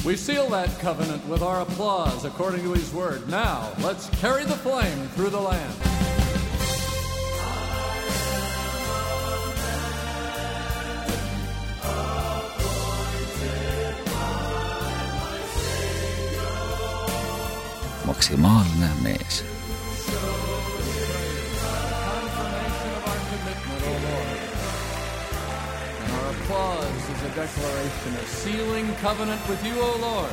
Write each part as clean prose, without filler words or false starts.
We seal that covenant with our applause according to his word. Now, let's carry the flame through the land. Maksimaalne mees. Applause is a declaration of sealing covenant with you, O Lord.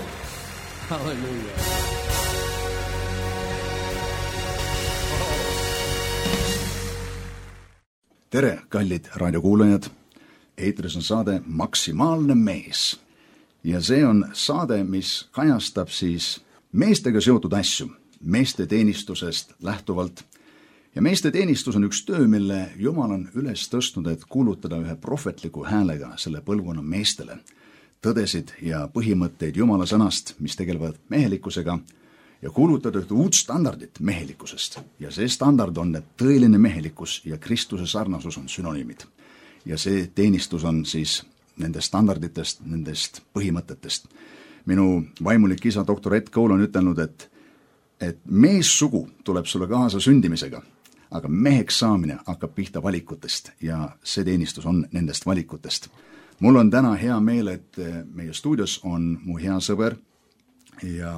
Hallelujah. Tere, kallid raadiokuulajad. Eetris on saade Maksimaalne mees. Ja see on saade, mis kajastab siis meestega seotud asju, meeste teenistusest lähtuvalt. Ja meeste teenistus on üks töö, mille Jumal on üles tõstnud, et kuulutada ühe prohvetliku häälega selle põlvkonna meestele tõdesid ja põhimõtteid Jumala sõnast, mis tegelevad mehelikkusega, ja kuulutada ühte uut standardit mehelikkusest. Ja see standard on, et tõeline mehelikkus ja Kristuse sarnasus on synonüümid. Ja see teenistus on siis nendest standarditest, nendest põhimõtetest. Minu vaimulik isa, doktor Ed Cole on ütelnud, et meessugu tuleb sulle kaasa sündimisega, aga meheks saamine hakkab pihta valikutest ja see teenistus on nendest valikutest. Mul on täna hea meel, et meie stuudios on mu hea sõber ja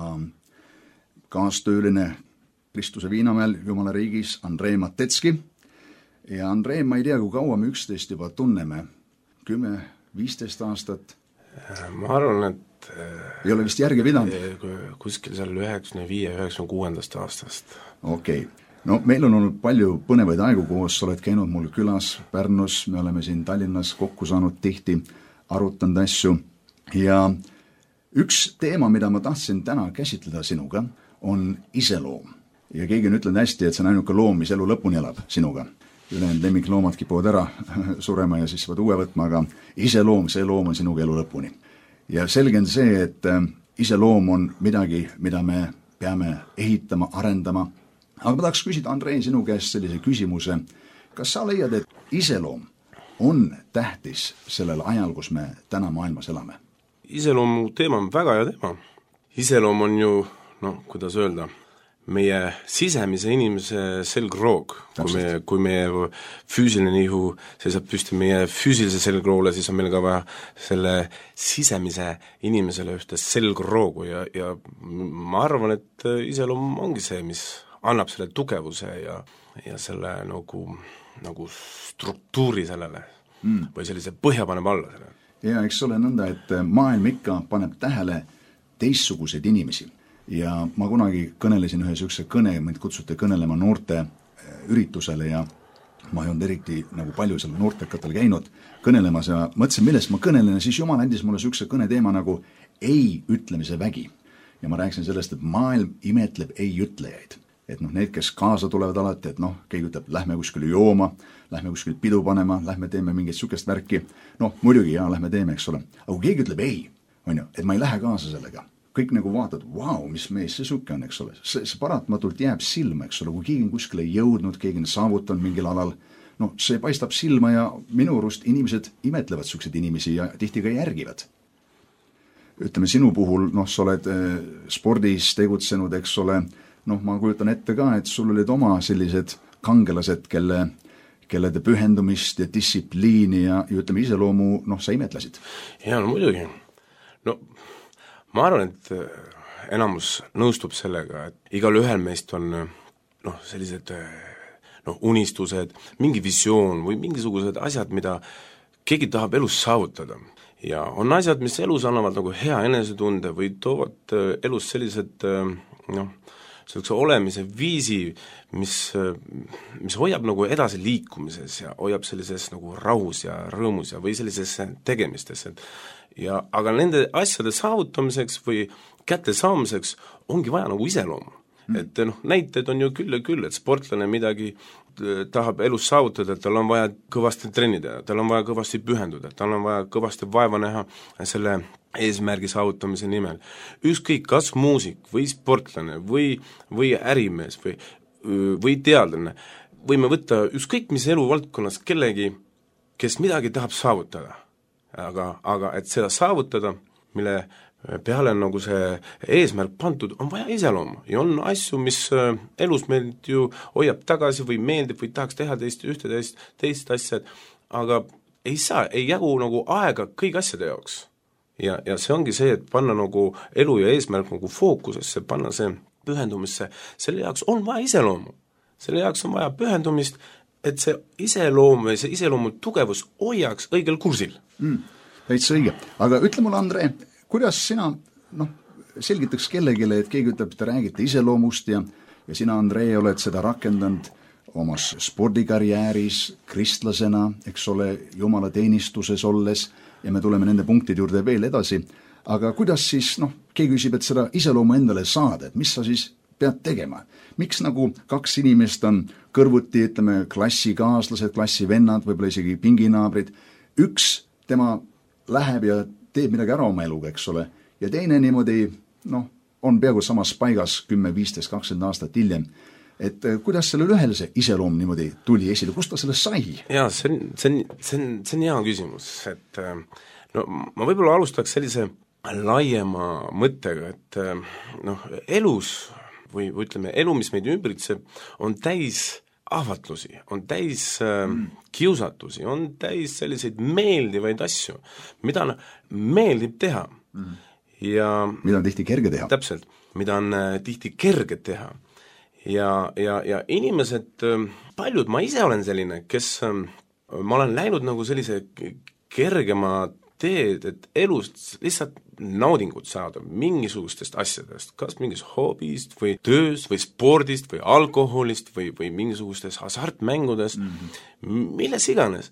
kaastööline Kristuse Viinamäel Jumala riigis Andrei Matetski. Ja Andrei, ma ei tea, kui kaua me üksteist juba tunneme, 10-15 aastat? Ma arvan, et ei ole vist järgi pidanud? Kuskil seal 95-96 aastast. Okei. No meil on olnud palju põnevaid aegu koos, sa oled käinud mul külas Pärnus, me oleme siin Tallinnas kokku saanud tihti, arutanud asju. Ja üks teema, mida ma tahtsin täna käsitleda sinuga, on iseloom. Ja keegi on ütlenud hästi, et see on ainuke loom, mis elu lõpuni elab sinuga. Ülejäänud lemmikloomad kipuvad ära surema ja siis võid uue võtma, aga iseloom, see loom on sinuga elu lõpuni. Ja selge on see, et iseloom on midagi, mida me peame ehitama, arendama. Aga ma tahaks küsida, Andrei, sinu käest sellise küsimuse. Kas sa leiad, et iseloom on tähtis sellel ajal, kus me täna maailmas elame? Iseloomu teema on väga hea teema. Iseloom on ju, kuidas öelda, meie sisemise inimese selgroog. Kui meie füüsiline ihu seisab püsti meie füüsilise selgroole, siis on meil ka vaja selle sisemise inimesele ühte selgroogu ja ma arvan, et iseloom ongi see, mis annab selle tugevuse ja selle nagu struktuuri sellele või sellise põhja paneb alla sellele. Ja eks ole nõnda, et maailm ikka paneb tähele teistsuguseid inimesi. Ja ma kunagi kõnelesin ühe sükse kõne, mind kutsuti kõnelema noorte üritusele ja ma ei olnud eriti nagu palju seal noortekatel käinud kõnelemas ja mõtlesin, millest ma kõnelen ja siis Jumal andis mulle sükse kõne teema nagu ei ütlemise vägi. Ja ma rääkisin sellest, et maailm imetleb ei ütlejaid. Et need, kes kaasa tulevad alati, et keegi ütleb, lähme kuskile jooma, lähme kuskile pidu panema, lähme teeme mingit sükest värki. Muidugi, lähme teeme, eks ole. Aga kui keegi ütleb ei, et ma ei lähe kaasa sellega. Kõik nagu vaatad, mis mees see suke on, eks ole. See paratmatult jääb silma, eks ole. Kui keegi on kuskile jõudnud, keegi on saavutanud mingil alal, see paistab silma ja minu arust inimesed imetlevad sükseid inimesi ja tihti ka järgivad. Ütleme, sinu puhul, sa oled spordis tegutsenud, eks ole, ma kujutan ette ka, et sul olid oma sellised kangelased, kelle pühendumist ja distsipliini ja ütleme iseloomu, sa imetlesid. Ja, muidugi. Ma arvan, et enamus nõustub sellega, et igal ühel meist on sellised unistused, mingi visioon või mingisugused asjad, mida keegi tahab elus saavutada. Ja on asjad, mis elus annavad nagu hea enesetunde või toovad elus sellised sellise olemise viisi, mis hoiab nagu edasi liikumises ja hoiab sellises nagu rahus ja rõõmus ja või sellises tegemistes. Aga nende asjade saavutamiseks või kätte saamiseks ongi vaja nagu iseloomu. Et näited on ju küll ja küll, et sportlane midagi tahab elus saavutada, et tal on vaja kõvasti trennida, tal on vaja kõvasti pühenduda, tal on vaja kõvasti vaeva näha selle eesmärgi saavutamise nimel. Ükskõik kas muusik või sportlane või ärimees või teadlane, võime võtta ükskõik mis eluvaldkonnas kellegi, kes midagi tahab saavutada. Aga et seda saavutada, peale on nagu see eesmärk pandud, on vaja iseloomu ja on asju, mis elus meid ju hoiab tagasi või meeldib või tahaks teha teist asja, aga ei saa, ei jagu nagu aega kõik asjade jaoks. Ja see ongi see, et panna nagu elu ja eesmärk nagu fookusesse, panna see pühendumisse, selle jaoks on vaja iseloomu. Selle jaoks on vaja pühendumist, et see iseloom või see iseloomu tugevus hoiaks õigel kursil. Täitsa õige. Aga ütle mulle, Andre, kuidas sina selgitaks kellegile, et keegi ütleb, et te räägite iseloomust ja sina, Andre, oled seda rakendanud omas spordikarjääris, kristlasena, eks ole, Jumala teenistuses olles ja me tuleme nende punktide juurde veel edasi. Aga kuidas siis, keegi küsib, et seda iseloomu endale saada, et mis sa siis pead tegema? Miks nagu kaks inimest on kõrvuti, ütleme, klassikaaslased, klassivennad, võib-olla isegi pinginaabrid, üks tema läheb ja teeb midagi ära oma eluga, eks ole, ja teine niimoodi, on peaaegu samas paigas 10, 15, 20 aastat hiljem. Et kuidas sellel ühel see iseloom niimoodi tuli esile, kust ta sellest sai? Jaa, see on hea küsimus, et ma võib-olla alustaks sellise laiema mõttega, et elus või ütleme, elu, mis meid ümbritseb, on täis ahvatlusi, on täis kiusatusi, on täis selliseid meeldivaid asju, mida meeldib teha. Ja mida on tihti kerge teha. Täpselt, mida on tihti kerge teha. Ja inimesed, paljud, ma ise olen selline, kes ma olen läinud nagu sellise kergema teed, et elust lihtsalt naudingut saada mingisugustest asjadest, kas mingist hobist või tööst või spordist või alkoholist või mingisugustest hasartmängudest, milles iganes.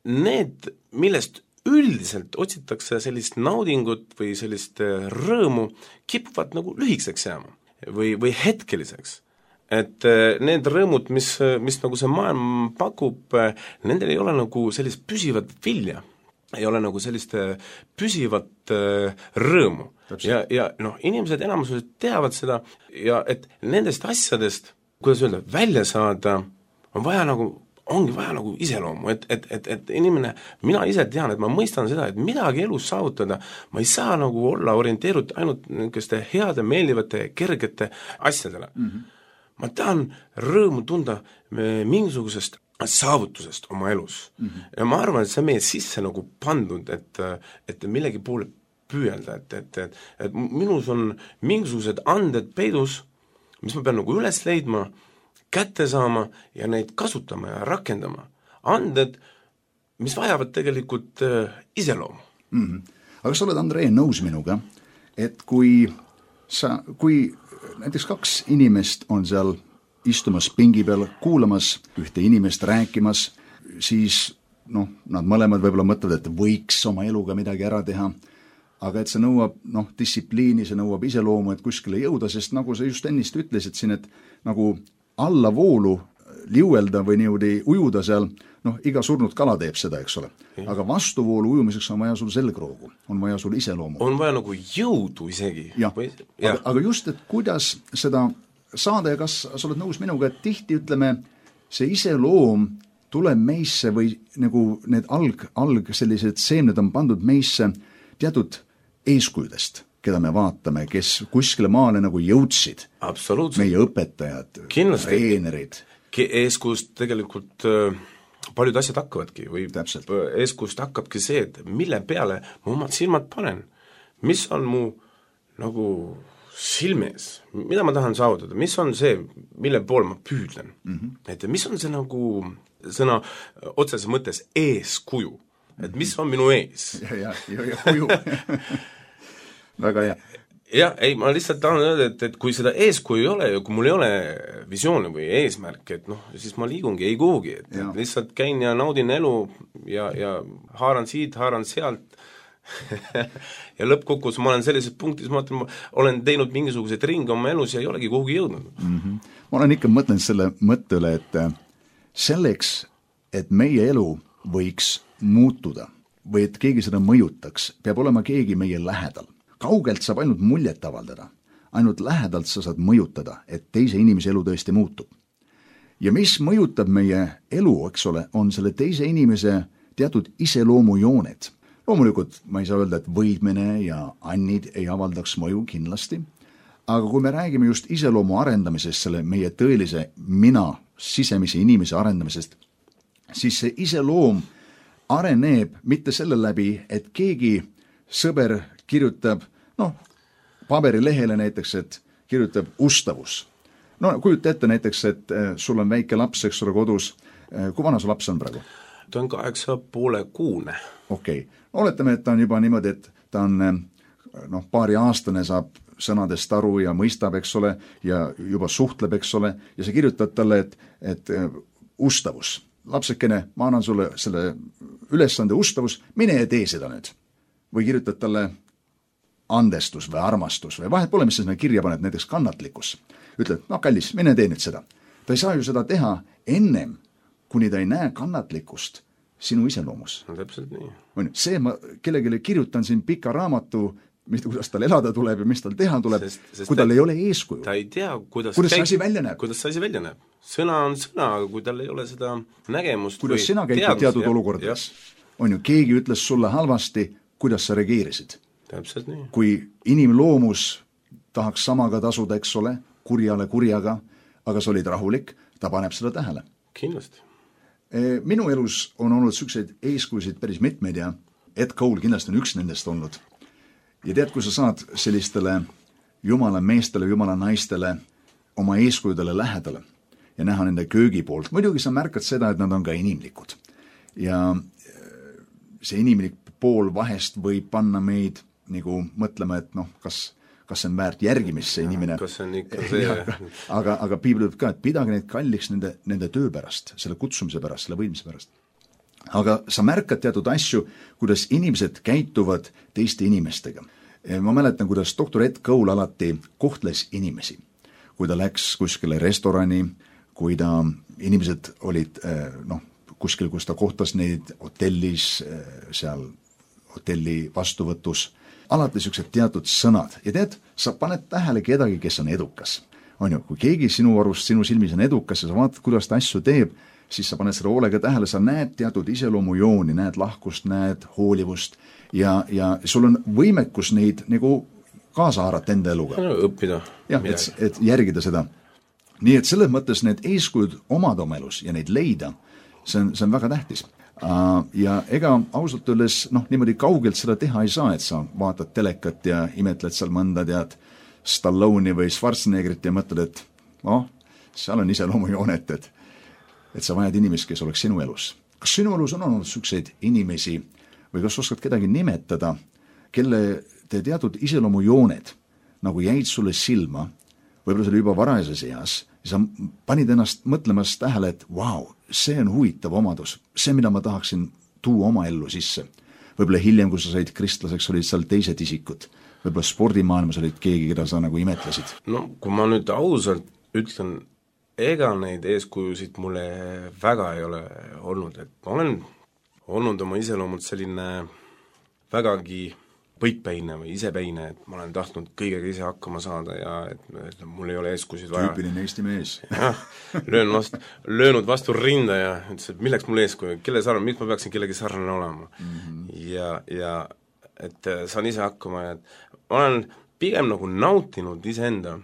Need, millest üldiselt otsitakse sellist naudingut või sellist rõõmu, kipuvad nagu lühikeseks jääma või hetkeliseks. Et need rõõmud, mis nagu see maailm pakub, nendel ei ole nagu sellist püsivat vilja, ei ole nagu sellist püsivat rõõmu. Ja inimesed enamused teavad seda ja et nendest asjadest, kuidas öelda, välja saada, ongi vaja nagu iseloomu, et inimene, mina ise tean, et ma mõistan seda, et midagi elus saavutada, ma ei saa nagu olla orienteerud ainult niisuguste heade, meeldivate, kergete asjadele. Ma tahan rõõmu tunda mingisugusest saavutusest oma elus. Ja ma arvan, et see meie sisse nagu pandud, et millegi poole püüelda, et minus on mingisugused anded peidus, mis ma pean nagu üles leidma, kätte saama ja neid kasutama ja rakendama. Anded, mis vajavad tegelikult iseloomu. Aga sa oled, Andrei, nõus minuga, et kui näiteks kaks inimest on seal istumas pingi peal, kuulamas ühte inimest rääkimas, siis nad mõlemad võib-olla mõtlevad, et võiks oma eluga midagi ära teha, aga et see nõuab distsipliini, see nõuab iseloomu, et kuskile jõuda, sest nagu sa just ennist ütlesid siin, et nagu allavoolu liuelda või niimoodi ujuda seal, iga surnud kala teeb seda, eks ole. Aga vastuvoolu ujumiseks on vaja sul selgroogu, on vaja sul iseloomu. On vaja nagu jõudu isegi. Aga just, et kuidas seda saada ja kas sa oled nõus minuga, et tihti ütleme, see iseloom tuleb meisse või nagu need alg sellised seemned on pandud meisse teatud eeskujudest, keda me vaatame, kes kuskile maale nagu jõudsid. Absoluutselt. Meie õpetajad, treenerid. Eeskujust tegelikult paljud asjad hakkavadki või eeskujust hakkabki see, et mille peale ma omad silmad panen. Mis on mu nagu silmes, mida ma tahan saavutada, mis on see, mille poole ma püüdlen. Et mis on see nagu sõna otseses mõttes eeskuju, et mis on minu ees. Ja kuju. Väga hea. Ja, ei, ma lihtsalt tahan öelda, et kui seda eeskuju ei ole ja kui mul ei ole visiooni või eesmärk, et siis ma liigungi ei kuhugi, et lihtsalt käin ja naudin elu ja haaran siit, haaran sealt ja lõppkokkuvõttes ma olen sellises punktis, ma olen teinud mingisuguseid ringe oma elus ja ei olegi kuhugi jõudnud. Ma olen ikka mõtlenud selle mõtte üle, et selleks, et meie elu võiks muutuda või et keegi seda mõjutaks, peab olema keegi meie lähedal. Kaugelt saab ainult muljet avaldada, ainult lähedalt sa saad mõjutada, et teise inimese elu tõesti muutub. Ja mis mõjutab meie elu, eks ole, on selle teise inimese teatud iseloomujooned. loomulikult ma ei saa öelda, et võidmine ja annid ei avaldaks mõju kindlasti, aga kui me räägime just iseloomu arendamisest, selle meie tõelise mina, sisemise inimese arendamisest, siis see iseloom areneb mitte selle läbi, et keegi sõber kirjutab, paberilehele näiteks, et kirjutab ustavus. No kujuta ette näiteks, et sul on väike laps, eks ole, kodus. Kui vana su laps on praegu? Ta on 8,5-kuune. Okei. Oletame, et ta on juba niimoodi, et ta on paari aastane, saab sõnadest aru ja mõistab, eks ole, ja juba suhtleb, eks ole, ja sa kirjutad talle, et ustavus. Lapsekene, ma annan sulle selle ülesande ustavus, mine ja tee seda nüüd. Või kirjutad talle andestus või armastus või vahet pole, mis sa sinna kirja paned, näiteks kannatlikkus. Ütled, kallis, mine tee nüüd seda. Ta ei saa ju seda teha ennem, kuni ta ei näe kannatlikkust sinu iseloomus. No täpselt nii. See ma kellegile kirjutan siin pika raamatu, kuidas tal elada tuleb ja mis tal teha tuleb, kui tal ei ole eeskuju. Ta ei tea, kuidas see asi välja näeb. Kuidas see asi välja näeb. Sõna on sõna, aga kui tal ei ole seda nägemust kuidas sina käitud teatud olukordades. On ju, keegi ütles sulle halvasti, kuidas sa reageerisid. Täpselt nii. Kui inimloomus tahaks samaga tasuda, eks ole, kurjale kurjaga, aga sa olid rahulik, ta paneb seda tähele. Kindlasti. Minu elus on olnud selliseid eeskujusid päris mitmeid ja Ed Cole kindlasti on üks nendest olnud. Ja tead, kui sa saad sellistele jumala meestele, jumala naistele oma eeskujudele lähedale ja näha nende köögi poolt, muidugi sa märkad seda, et nad on ka inimlikud. Ja see inimlik pool vahest võib panna meid nagu mõtlema, et kas see on väärt järgimist, see inimene. Kas see on ikka see? Aga piibel ütleb ka, et pidage neid kalliks nende töö pärast, selle kutsumise pärast, selle võidmise pärast. Aga sa märkad teatud asju, kuidas inimesed käituvad teiste inimestega. Ma mäletan, kuidas doktor Ed Cole alati kohtles inimesi. Kui ta läks kuskile restorani, kui ta inimesed olid kuskil, kus ta kohtas neid hotellis, seal hotelli vastuvõtus, alati niisugused teatud sõnad. Ja tead, sa paned tähele kedagi, kes on edukas. On ju, kui keegi sinu arust, sinu silmis on edukas ja sa vaatad, kuidas ta asju teeb, siis sa paned seda hoolega tähele, sa näed teatud iseloomujooni, näed lahkust, näed hoolivust ja sul on võimekus neid nagu kaasa haarata enda eluga. Õppida. Jah, et järgida seda. Nii et selles mõttes need eeskujud omad oma elus ja neid leida, see on väga tähtis. Ja ega ausalt öeldes, niimoodi kaugelt seda teha ei saa, et sa vaatad telekat ja imetled seal mõnda tead Stallone'i või Schwarzeneggerit ja mõtled, et seal on iseloomujoonet, et sa vajad inimest, kes oleks sinu elus. Kas sinu elus on olnud selliseid inimesi või kas oskad kedagi nimetada, kelle te teatud iseloomujooned nagu jäid sulle silma, võib-olla see oli juba varajases eas, ja sa panid ennast mõtlemas tähele, et see on huvitav omadus, see, mida ma tahaksin tuua oma ellu sisse. Võib-olla hiljem, kui sa said kristlaseks, olid seal teised isikud. Võib-olla spordimaailmas olid keegi, keda sa nagu imetlesid. Kui ma nüüd ausalt ütlen, ega neid eeskujusid mulle väga ei ole olnud, et ma olen olnud oma iseloomult selline vägagi võitpäine või isepäine, et ma olen tahtnud kõigega ise hakkama saada ja et mul ei ole eeskujusid vaja. Tüüpiline Eesti mees. Löönud vastu rinda ja ütles, et milleks mul eeskuju, kelle sarnane, miks ma peaksin kellegi sarnane olema. Ja et saan ise hakkama ja ma olen pigem nagu nautinud iseenda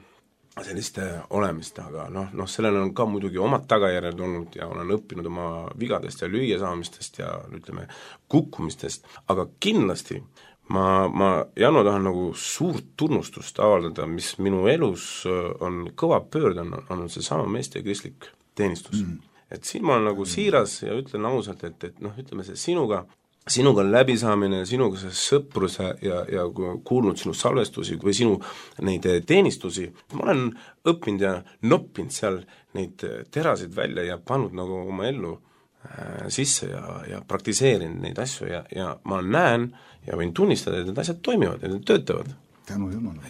selliste olemist, aga sellel on ka muidugi omad tagajärjed olnud ja olen õppinud oma vigadest ja lüüasaamistest ja ütleme kukkumistest, aga kindlasti ma Janno tahan nagu suurt tunnustust avaldada, mis minu elus on kõva pöörd, on see sama meeste kristlik teenistus. Et siin ma olen nagu siiras ja ütlen ausalt, et ütleme see sinuga läbisaamine, sinuga see sõprus ja kuulnud sinu salvestusi või sinu neid teenistusi, ma olen õppinud ja noppinud seal neid terasid välja ja pannud nagu oma ellu sisse ja praktiseerinud neid asju ja ma näen ja võin tunnistada, et need asjad toimivad ja need töötavad. Tänu Jumala.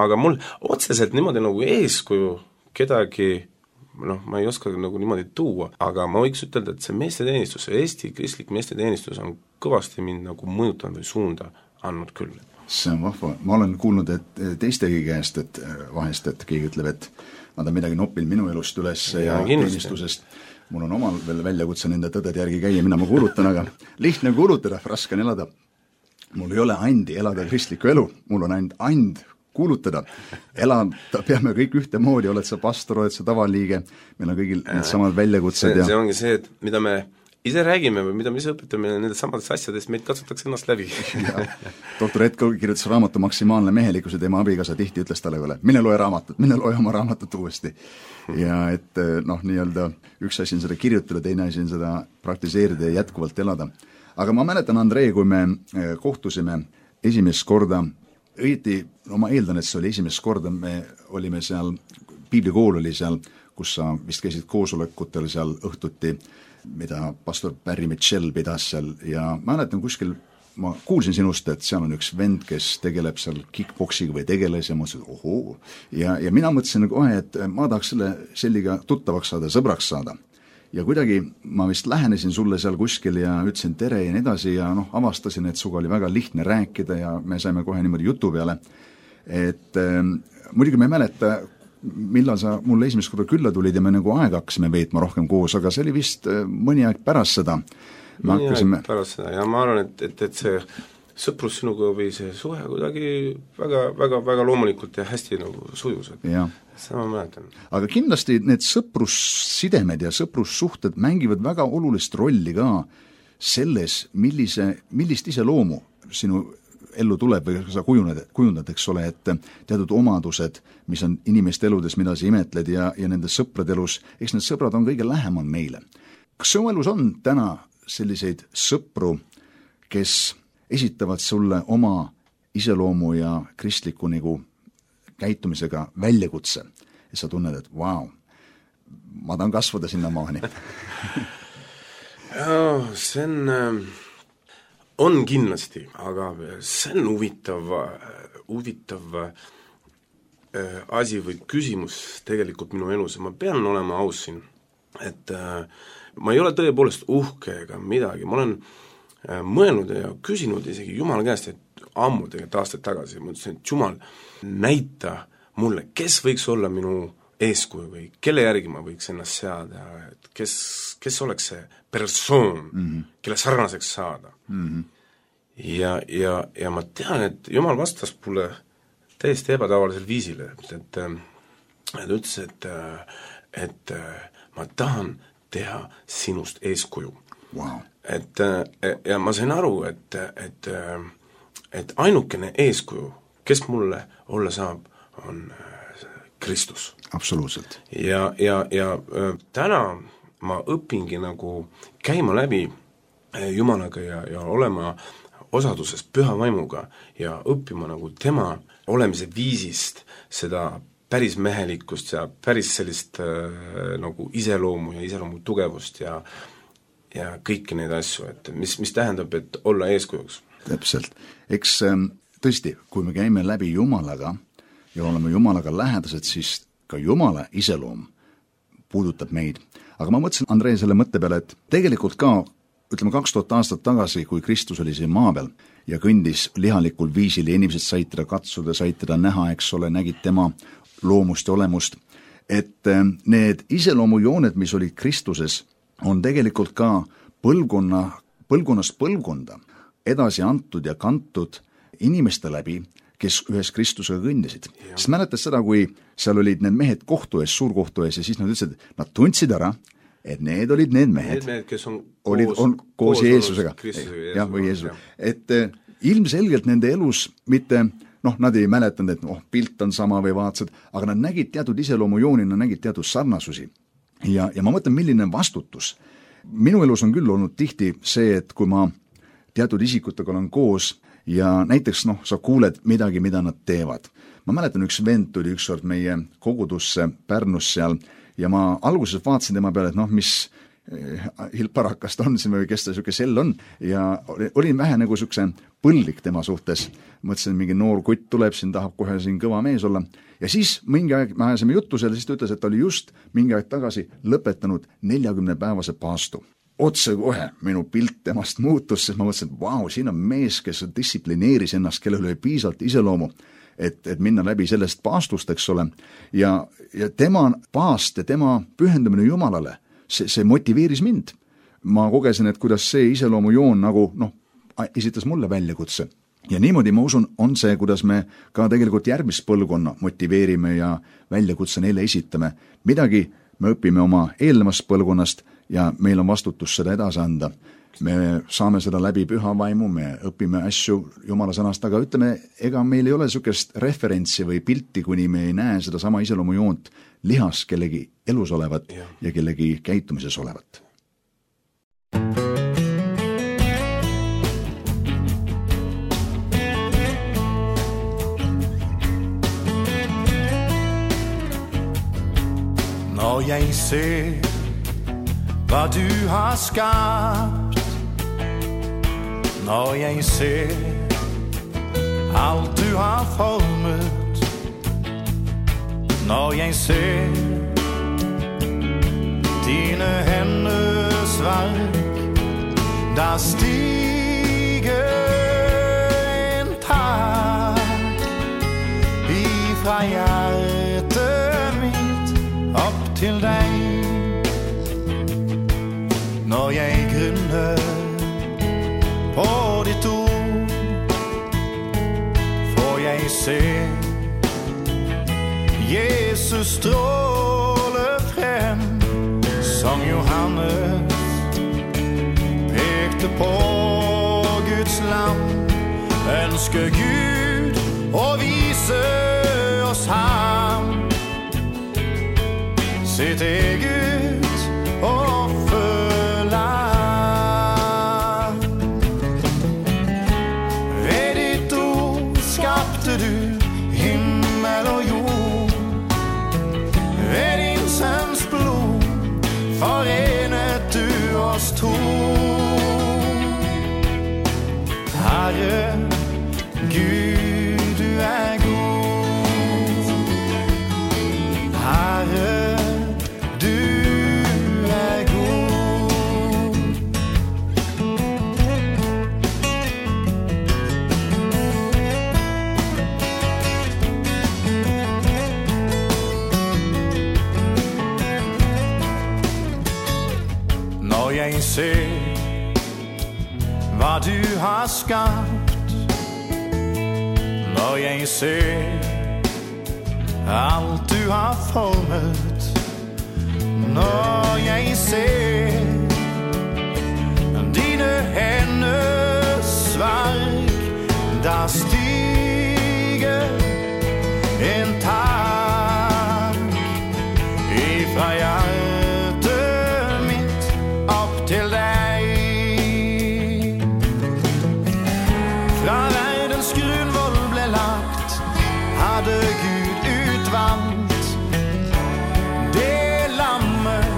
Aga mul otseselt niimoodi nagu eeskuju kedagi, ma ei oska nagu niimoodi tuua, aga ma võiks ütelda, et see meesteteenistus, Eesti kristlik meesteteenistus on kõvasti mind nagu mõjutanud või suunda andnud küll. See on vahva. Ma olen kuulnud, et teistegi käest, et vahest, et keegi ütleb, et nad on midagi noppinud minu elust üles ja teenistusest. mul on omal veel väljakutse nende tõdede järgi käia, mina ma kuulutan, aga lihtne kuulutada, raske on elada. Mul ei ole andi elada kristlikku elu, mul on ainult and kuulutada. Elada peame kõik ühtemoodi, oled sa pastor, oled sa tavaliige, meil on kõigil need samad väljakutsed. See ongi see, et mida me ise räägime või mida me ise õpetame nendest samadest asjadest, meid katsutakse ennast läbi. Doktor Etko kirjutas raamatu Maksimaalne mehelikkus ja tema abikaasa tihti ütles talle üle, mine loe oma raamatut uuesti. Ja et nii-öelda üks asi on seda kirjutada, teine asi on seda praktiseerida ja jätkuvalt elada. Aga ma mäletan, Andrei, kui me kohtusime esimest korda, õieti, ma eeldan, et see oli esimest korda, me olime seal, piiblikool oli seal, kus sa vist käisid koosolekutel seal õhtuti, mida pastor Barry Mitchell pidas seal ja ma mäletan kuskil, ma kuulsin sinust, et seal on üks vend, kes tegeleb seal kickboksiga või tegeles ja mõtlesin, et ohoo. Ja mina mõtlesin kohe, et ma tahaks selliga tuttavaks saada, sõbraks saada. Ja kuidagi ma vist lähenesin sulle seal kuskil ja ütlesin tere ja nii edasi ja avastasin, et suga oli väga lihtne rääkida ja me saime kohe niimoodi jutu peale. Et muidugi me ei mäleta, millal sa mulle esimest korda külla tulid ja me nagu aega hakkasime veetma rohkem koos, aga see oli vist mõni aeg pärast seda. Aeg pärast seda ja ma arvan, et see sõprus sinuga või see suhe kuidagi väga loomulikult ja hästi nagu sujus, et seda ma mäletan. Aga kindlasti need sõprussidemed ja sõprussuhted mängivad väga olulist rolli ka selles, millist iseloomu sinu ellu tuleb või sa kujundad, eks ole, et teatud omadused, mis on inimeste eludes, mida sa imetled ja nende sõprade elus, eks need sõbrad on kõige lähemal meile. Kas su elus on täna selliseid sõpru, kes esitavad sulle oma iseloomu ja kristliku nagu käitumisega väljakutse ja sa tunned, et vau, ma tahan kasvada sinna maani? See on kindlasti, aga see on huvitav asi või küsimus tegelikult minu elus ja ma pean olema aus siin, et ma ei ole tõepoolest uhke ega midagi, ma olen mõelnud ja küsinud isegi Jumala käest, et ammu tegelikult aastaid tagasi, ma ütlesin, et Jumal, näita mulle, kes võiks olla minu eeskuju või kelle järgi ma võiks ennast seada, et kes oleks see persoon, kelle sarnaseks saada. Ja ma tean, et Jumal vastas mulle täiesti ebatavalisel viisil, et ta ütles, et ma tahan teha sinust eeskuju. Wow. Ja ma sain aru, et ainukene eeskuju, kes mulle olla saab, on Kristus. Absoluutselt. Ja täna ma õpingi nagu käima läbi Jumalaga ja olema osaduses püha vaimuga ja õppima nagu tema olemise viisist seda päris mehelikkust ja päris sellist nagu iseloomu ja iseloomu tugevust ja kõiki neid asju, et mis tähendab, et olla eeskujuks. Täpselt. Eks tõesti, kui me käime läbi Jumalaga ja oleme Jumalaga lähedased, siis ka Jumala iseloom puudutab meid. Aga ma mõtlesin, Andrei, selle mõtte peale, et tegelikult ka, ütleme 2000 aastat tagasi, kui Kristus oli siin maa peal ja kõndis lihalikul viisil ja inimesed said teda katsuda, said teda näha, eks ole, nägid tema loomust ja olemust, et need iseloomujooned, mis olid Kristuses, on tegelikult ka põlvkonnast põlvkonda edasi antud ja kantud inimeste läbi, kes ühes Kristusega kõndisid. Sest mäletas seda, kui seal olid need mehed kohtu ees, suurkohtu ees ja siis nad ütlesid, nad tundsid ära, et need olid need mehed, kes on koos Jeesusega. Jah, või Jeesusega. Et ilmselgelt nende elus mitte, nad ei mäletanud, et pilt on sama või vaatasid, aga nad nägid teatud iseloomujooni, nad nägid teatud sarnasusi. Ja ma mõtlen, milline vastutus. Minu elus on küll olnud tihti see, et kui ma teatud isikutega olen koos ja näiteks sa kuuled midagi, mida nad teevad. Ma mäletan, üks vend tuli ükskord meie kogudusse Pärnus seal ja ma alguses vaatasin tema peale, et mis hilparakast on siin või kes ta siuke sell on ja olin vähe nagu siukse põllik tema suhtes. Mõtlesin, mingi noor kutt tuleb, siin tahab kohe siin kõva mees olla. Ja siis mingi aeg me ajasime juttu selle, siis ta ütles, et ta oli just mingi aeg tagasi lõpetanud 40-päevase paastu. Otse kohe minu pilt temast muutus, sest ma mõtlesin, et vau, siin on mees, kes distsiplineeris ennast, kellel oli piisalt iseloomu, et minna läbi sellest paastust, eks ole. Ja tema paast ja tema pühendumine Jumalale, see motiveeris mind. Ma kogesin, et kuidas see iseloomujoon nagu esitas mulle väljakutse. Ja niimoodi ma usun, on see, kuidas me ka tegelikult järgmist põlvkonna motiveerime ja väljakutse neile esitame. Midagi me õpime oma eelnevast põlvkonnast ja meil on vastutus seda edasi anda. Me saame seda läbi püha vaimu, me õpime asju Jumala sõnast, aga ütleme, ega meil ei ole niisugust referentsi või pilti, kuni me ei näe seda sama iseloomujoont lihas kellegi elus olevat ja kellegi käitumises olevat. Når jeg ser, hvad du har skabt, når jeg ser, alt du har formet, når jeg ser, dine hænders værk, der stiger en tak ifra hjertet mitt op til dig. Når jeg grunner på dit ord, får jeg se Jesus stråle frem, som Johannes pekte på Guds lam. Ønsker Gud å vise oss ham, sitt eget offerlam. Ved ditt ord skapte du himmel og jord, ved din sønns blod forenet du oss to. Herre, Gud, du er god. Herre, du er god. Når jeg ser, hvad du har skabt, når jeg ser, alt du har formet, når jeg ser, dine hænders værk, der stiger en tak ifra hjertet mitt op til dig. Fra verdens grundvold ble lagt, hadde Gud utvalgt det lammet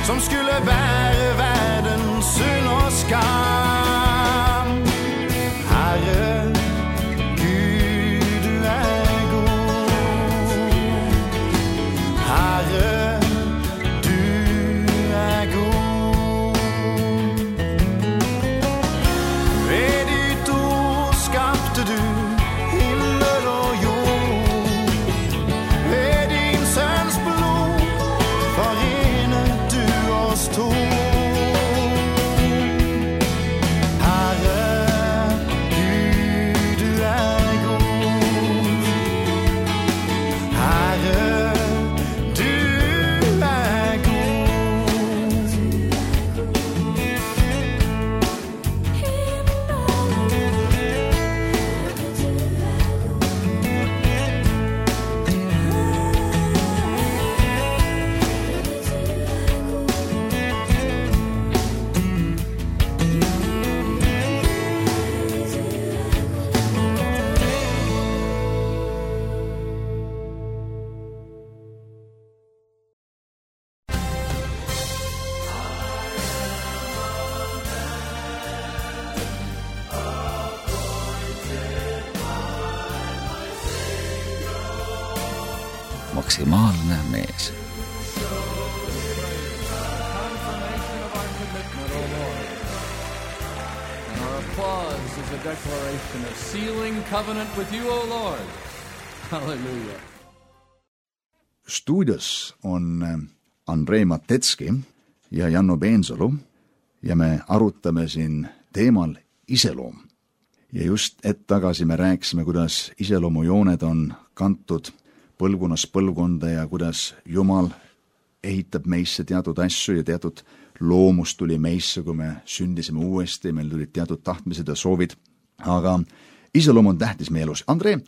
som skulle bære verdens synd og skam. Herre, Gud, du er god. Herre, du er god. Ved ditt ord skapte du himmel og jord, ved din sønns blod forenet du oss to. Herre, Gud, du er god. Herre, du er god. Maksimaalne mees. Confirmation of our commitment, O Lord. And our applause is a declaration of sealing covenant with you, O Lord. Hallelujah. Stuudios on Andrei Matetski ja Janno Peensalu ja me arutame siin teemal iseloom. Ja just hetk tagasi me rääkisime, kuidas iseloomujooned on kantud põlvkonnast põlvkonda ja kuidas Jumal ehitab meisse teatud asju ja teatud loomus tuli meisse, kui me sündisime uuesti, meil tulid teatud tahtmised ja soovid. Aga iseloom on tähtis meie elus. Andre,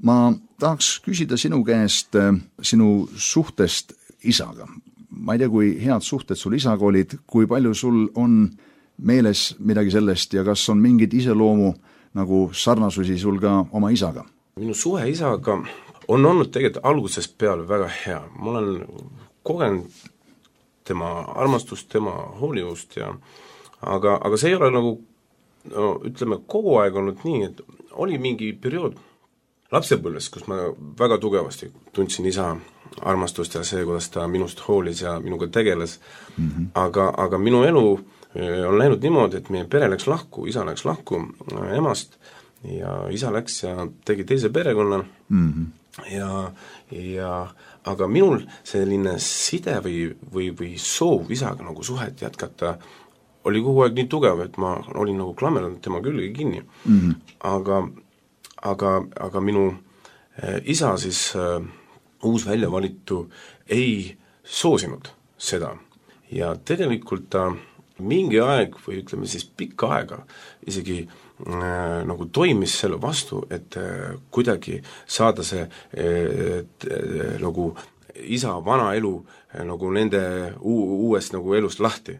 ma tahaks küsida sinu käest sinu suhtest isaga. Ma ei tea, kui head suhted sul isaga olid, kui palju sul on meeles midagi sellest ja kas on mingid iseloomu nagu sarnasusi sul ka oma isaga? Minu suhe isaga on olnud tegelikult algusest peale väga hea. Ma olen kogenud tema armastust, tema hoolivust ja aga see ei ole nagu ütleme kogu aeg olnud nii, et oli mingi periood lapsepõlves, kus ma väga tugevasti tundsin isa armastust ja see, kuidas ta minust hoolis ja minuga tegeles. Aga minu elu on läinud niimoodi, et meie pere läks lahku, isa läks lahku emast ja isa läks ja tegi teise perekonna ja aga minul selline side või soov isaga nagu suhet jätkata oli kogu aeg nii tugev, et ma olin nagu klammeranud tema külge kinni. Aga minu isa siis uus väljavalitu ei soosinud seda ja tegelikult ta mingi aeg või ütleme siis pikka aega isegi nagu toimis selle vastu, et kuidagi saada see nagu isa vana elu nagu nende uuest nagu elust lahti.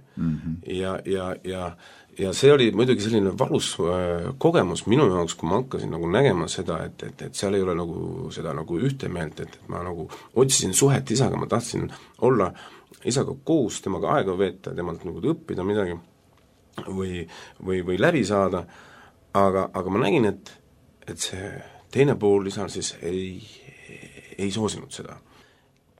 Ja see oli muidugi selline valus kogemus minu jaoks, kui ma hakkasin nagu nägema seda, et seal ei ole nagu seda nagu ühte meelt, et ma nagu otsisin suhet isaga, ma tahtsin olla isaga koos, temaga aega veeta, temalt nagu õppida midagi või läbi saada, aga ma nägin, et see teine pool isal siis ei soosinud seda.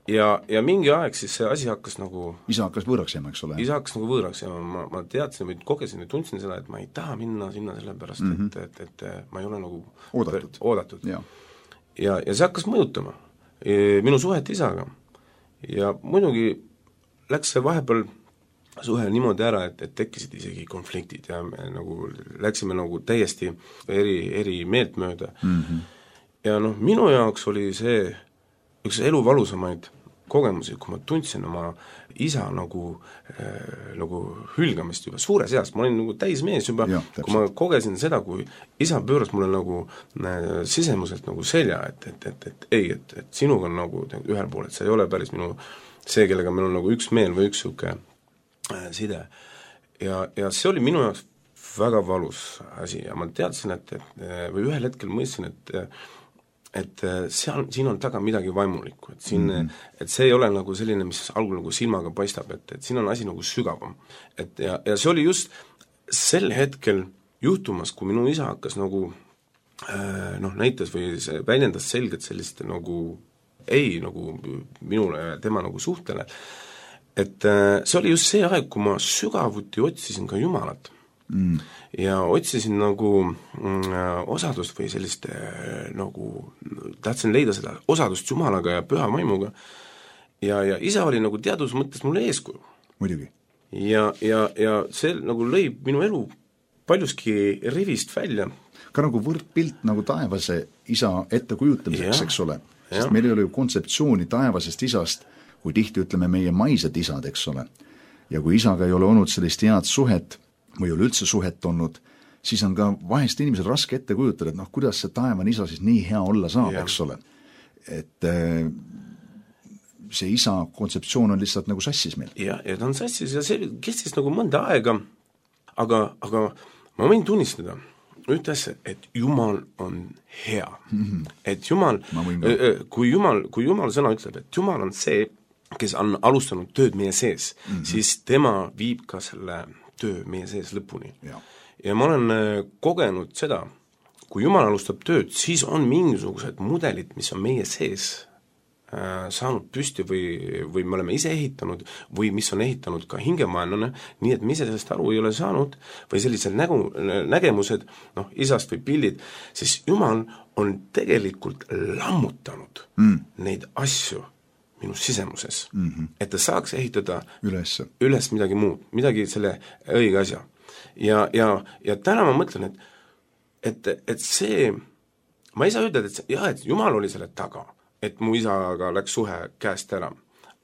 Ja mingi aeg siis see asi hakkas nagu isa hakkas võõraks jääma, eks ole? Isa hakkas nagu võõraks jääma, ma teadsin või kogesin või tundsin seda, et ma ei taha minna sinna sellepärast, et ma ei ole nagu oodatud. Ja see hakkas mõjutama minu suhet isaga ja muidugi läks see vahepeal suhe niimoodi ära, et tekkisid isegi konfliktid ja me nagu läksime nagu täiesti eri meelt mööda. Ja minu jaoks oli see üks elu valusamaid kogemusi, kui ma tundsin oma isa nagu hülgamist juba suures eas, ma olin nagu täismees juba, kui ma kogesin seda, kui isa pööras mulle nagu sisemuselt nagu selja, et sinuga on nagu ühel pool, et see ei ole päris minu see, kellega meil on nagu üks meel või üks siuke side. Ja see oli minu jaoks väga valus asi ja ma teadsin, või ühel hetkel mõistsin, et siin on taga midagi vaimulikku, et see ei ole nagu selline, mis algul nagu silmaga paistab, et siin on asi nagu sügavam. Ja see oli just sel hetkel juhtumas, kui minu isa hakkas nagu näitas või väljendas selgelt sellist nagu nagu minule ja tema nagu suhtele, et see oli just see aeg, kui ma sügavuti otsisin ka Jumalat ja otsisin nagu osadust või sellist nagu tahtsin leida seda osadust Jumalaga ja püha vaimuga ja isa oli nagu teadus mõttes mulle eeskuju. Muidugi. Ja see nagu lõi minu elu paljuski rivist välja. Ka nagu võrdpilt nagu taevase isa ettekujutamiseks, eks ole. Sest meil ei ole ju kontseptsiooni taevasest isast, kui tihti ütleme meie maised isad, eks ole. Ja kui isaga ei ole olnud sellist head suhet või ei ole üldse suhet olnud, siis on ka vahest inimesel raske ette kujutada, et kuidas see taevane isa siis nii hea olla saab, eks ole. Et see isa kontseptsioon on lihtsalt nagu sassis meil. Ja ta on sassis ja see kestis nagu mõnda aega, aga ma võin tunnistada ühte asja, et Jumal on hea. Et Jumal, kui Jumal sõna ütleb, et Jumal on see, kes on alustanud tööd meie sees, siis tema viib ka selle töö meie sees lõpuni. Ja ma olen kogenud seda, kui Jumal alustab tööd, siis on mingisugused mudelid, mis on meie sees saanud püsti või me oleme ise ehitanud või mis on ehitanud ka hingemaenlane, nii et me ise sellest aru ei ole saanud või sellised nägemused, isast või pildid, siis Jumal on tegelikult lammutanud neid asju, minu sisemuses, et ta saaks ehitada üles midagi muud, midagi selle õige asja. Ja täna ma mõtlen, et see, ma ei saa ütelda, et Jumal oli selle taga, et mu isaga läks suhe käest ära,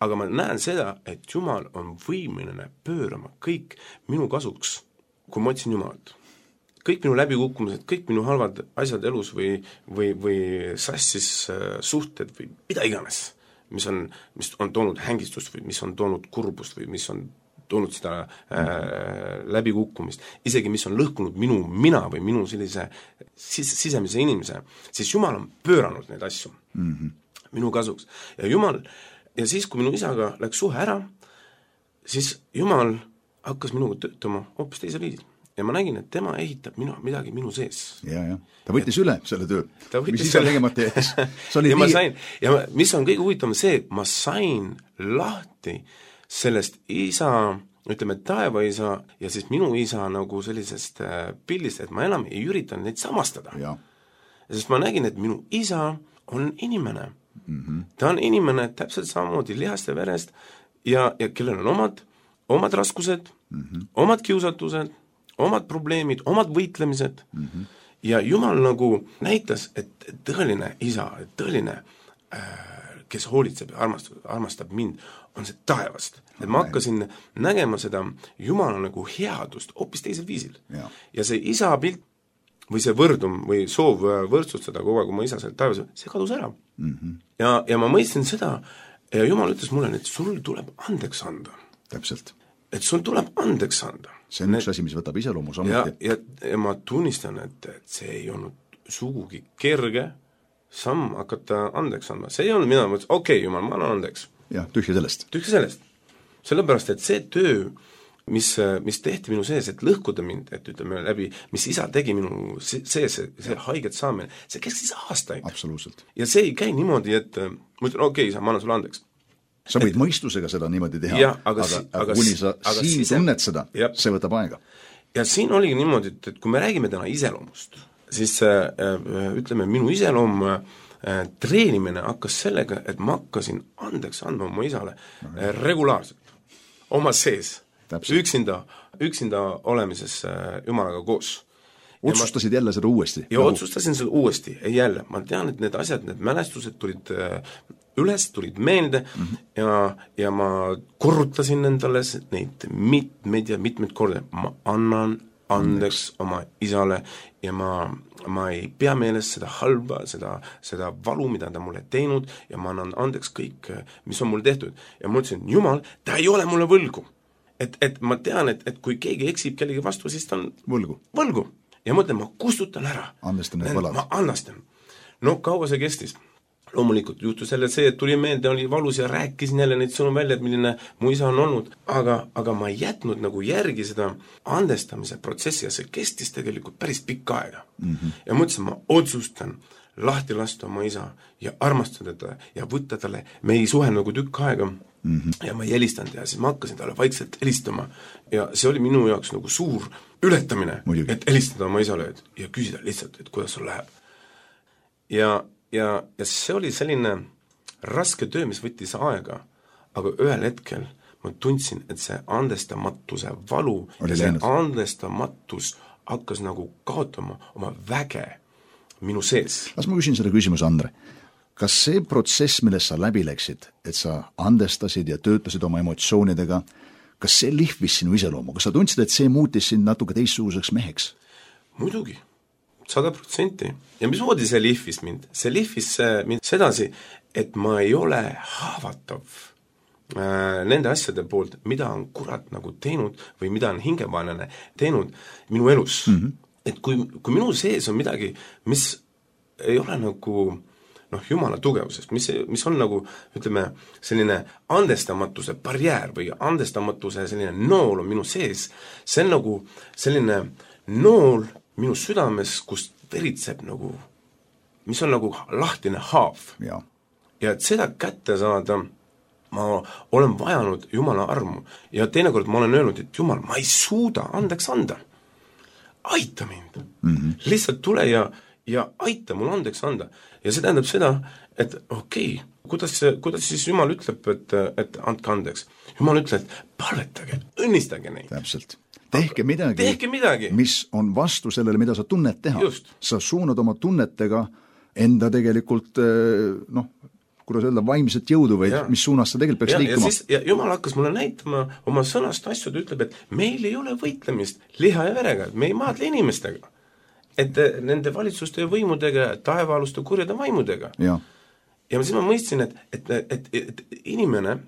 aga ma näen seda, et Jumal on võimeline pöörama kõik minu kasuks, kui ma otsin Jumalat. Kõik minu läbikukkumised, kõik minu halvad asjad elus või sassis suhted või mida iganes, mis on toonud hängistust või mis on toonud kurbust või mis on toonud seda läbikukkumist, isegi mis on lõhkunud minu mina või minu sellise sisemise inimese, siis Jumal on pööranud neid asju minu kasuks. Ja siis, kui minu isaga läks suhe ära, siis Jumal hakkas minuga töötama hoopis teisel viisil. Ja ma nägin, et tema ehitab midagi minu sees. Ja. Ta võttis üle selle töö, mis isa tegemata jäes. Ja mis on kõige huvitavam see, et ma sain lahti sellest isa, ütleme taevaisa ja siis minu isa nagu sellisest pildist, et ma enam ei üritanud neid samastada. Ja. Sest ma nägin, et minu isa on inimene. Ta on inimene täpselt samamoodi lihast ja verest ja kellel on omad raskused, omad kiusatused, omad probleemid, omad võitlemised ja Jumal nagu näitas, et tõeline isa, tõeline, kes hoolitseb ja armastab mind, on see taevast. Et ma hakkasin nägema seda Jumala nagu headust hoopis teisel viisil. Ja see isa pilt või see võrdum või soov võrdsustada kogu aeg oma isa seal taevas, see kadus ära. Ja ma mõistsin seda ja Jumal ütles mulle, et sul tuleb andeks anda. Täpselt. Et sul tuleb andeks anda. See on üks asi, mis võtab iseloomu samuti. Ja ma tunnistan, et see ei olnud sugugi kerge samm hakata andeks andma. See ei olnud mina, okei, Jumal, ma annan andeks. Ja, tühja sellest. Sellepärast, et see töö, mis tehti minu sees, et lõhkuda mind, et ütleme läbi, mis isa tegi minu sees, see haiget saamine, see kestis aastaid. Absoluutselt. Ja see ei käi niimoodi, et ma ütlen, okei, isa, ma annan sulle andeks. Sa võid mõistusega seda niimoodi teha, aga kuni sa siin tunned seda, see võtab aega. Ja siin oligi niimoodi, et kui me räägime täna iseloomust, siis ütleme, minu iseloom treenimine hakkas sellega, et ma hakkasin andeks andma oma isale regulaarselt, oma sees, üksinda olemises Jumalaga koos. Otsustasid jälle seda uuesti? Ja otsustasin seda uuesti, jälle. Ma tean, et need asjad, need mälestused tulid meelde ja ma korrutasin endale neid mitmeid korda. Ma annan andeks oma isale ja ma ei pea meeles seda halba, seda valu, mida ta mulle teinud ja ma annan andeks kõik, mis on mulle tehtud. Ja ma ütlesin, Jumal, ta ei ole mulle võlgu. Et ma tean, et kui keegi eksib kellegi vastu, siis ta on võlgu. Ja mõtlen, ma kustutan ära. Andestan need võlad. Ma andestan. No kaua see kestis? Loomulikult juhtus jälle see, et tuli meelde, oli valus ja rääkisin jälle neid sõnu välja, et milline mu isa on olnud. Aga ma ei jätnud nagu järgi seda andestamise protsessi ja see kestis tegelikult päris pikka aega. Ja mõtlesin, ma otsustan lahti lasta oma isa ja armastada teda ja võtta talle, me ei suhe nagu tükk aega ja ma ei helistanud ja siis ma hakkasin talle vaikselt helistama ja see oli minu jaoks nagu suur ületamine, et helistada oma isale ja küsida lihtsalt, et kuidas sul läheb. Ja see oli selline raske töö, mis võttis aega, aga ühel hetkel ma tundsin, et see andestamatuse valu ja see andestamatus hakkas nagu kaotama oma väge minu sees. Las ma küsin selle küsimuse, Andre. Kas see protsess, milles sa läbi läksid, et sa andestasid ja töötasid oma emotsioonidega, kas see lihvis sinu iseloomu? Kas sa tundsid, et see muutis sind natuke teistsuguseks meheks? Muidugi, 100%. Ja mis moodi see lihvis mind? See lihvis mind sedasi, et ma ei ole haavatav nende asjade poolt, mida on kurat nagu teinud või mida on hingevaenlane teinud minu elus. Et kui minu sees on midagi, mis ei ole nagu Jumala tugevusest, mis on nagu, ütleme, selline andestamatuse barjäär või andestamatuse selline nool on minu sees, see on nagu selline nool minu südames, kus veritseb nagu, mis on nagu lahtine haav. Ja et seda kätte saada, ma olen vajanud Jumala armu ja teinekord ma olen öelnud, et Jumal, ma ei suuda andeks anda. Aita mind. Lihtsalt tule ja aita mul andeks anda. Ja see tähendab seda, et okei, kuidas siis Jumal ütleb, et andke andeks. Jumal ütleb, et palvetage, õnnistage neid. Täpselt. Tehke midagi, mis on vastu sellele, mida sa tunned teha. Just. Sa suunad oma tunnetega enda tegelikult, kuidas öelda, vaimset jõudu või mis suunas sa tegelikult peaks liikuma. Ja Jumal hakkas mulle näitama oma sõnast asju, ta ütleb, et meil ei ole võitlemist liha ja verega, et me ei maadle inimestega. Et nende valitsuste ja võimudega, taevaaluste kurjade vaimudega. Ja siis ma mõistsin, et inimene,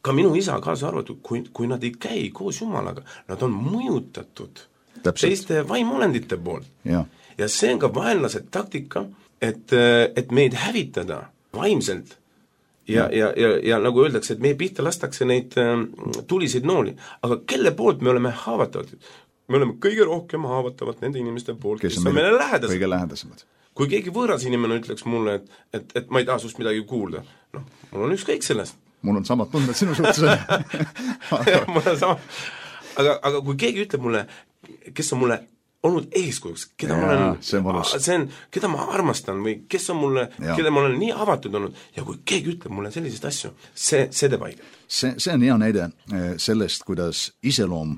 ka minu isa kaasa arvatud, kui nad ei käi koos Jumalaga, nad on mõjutatud teiste vaimolendite poolt. Ja see on ka vaenlase taktika, et meid hävitada vaimselt ja nagu öeldakse, et meie pihta lastakse neid tuliseid nooli, aga kelle poolt me oleme haavatavad? Me oleme kõige rohkem haavatavad nende inimeste poolt, kes on meile lähedasemad. Kui keegi võõras inimene ütleks mulle, et ma ei taha sust midagi kuulda, mul on ükskõik sellest. Mul on samad tunded sinu suhtes. Mul on sama. Aga kui keegi ütleb mulle, kes on mulle olnud eeskujuks, keda ma armastan või kes on mulle, keda ma olen nii avatud olnud ja kui keegi ütleb mulle selliseid asju, see teeb haiget. See on hea näide sellest, kuidas iseloom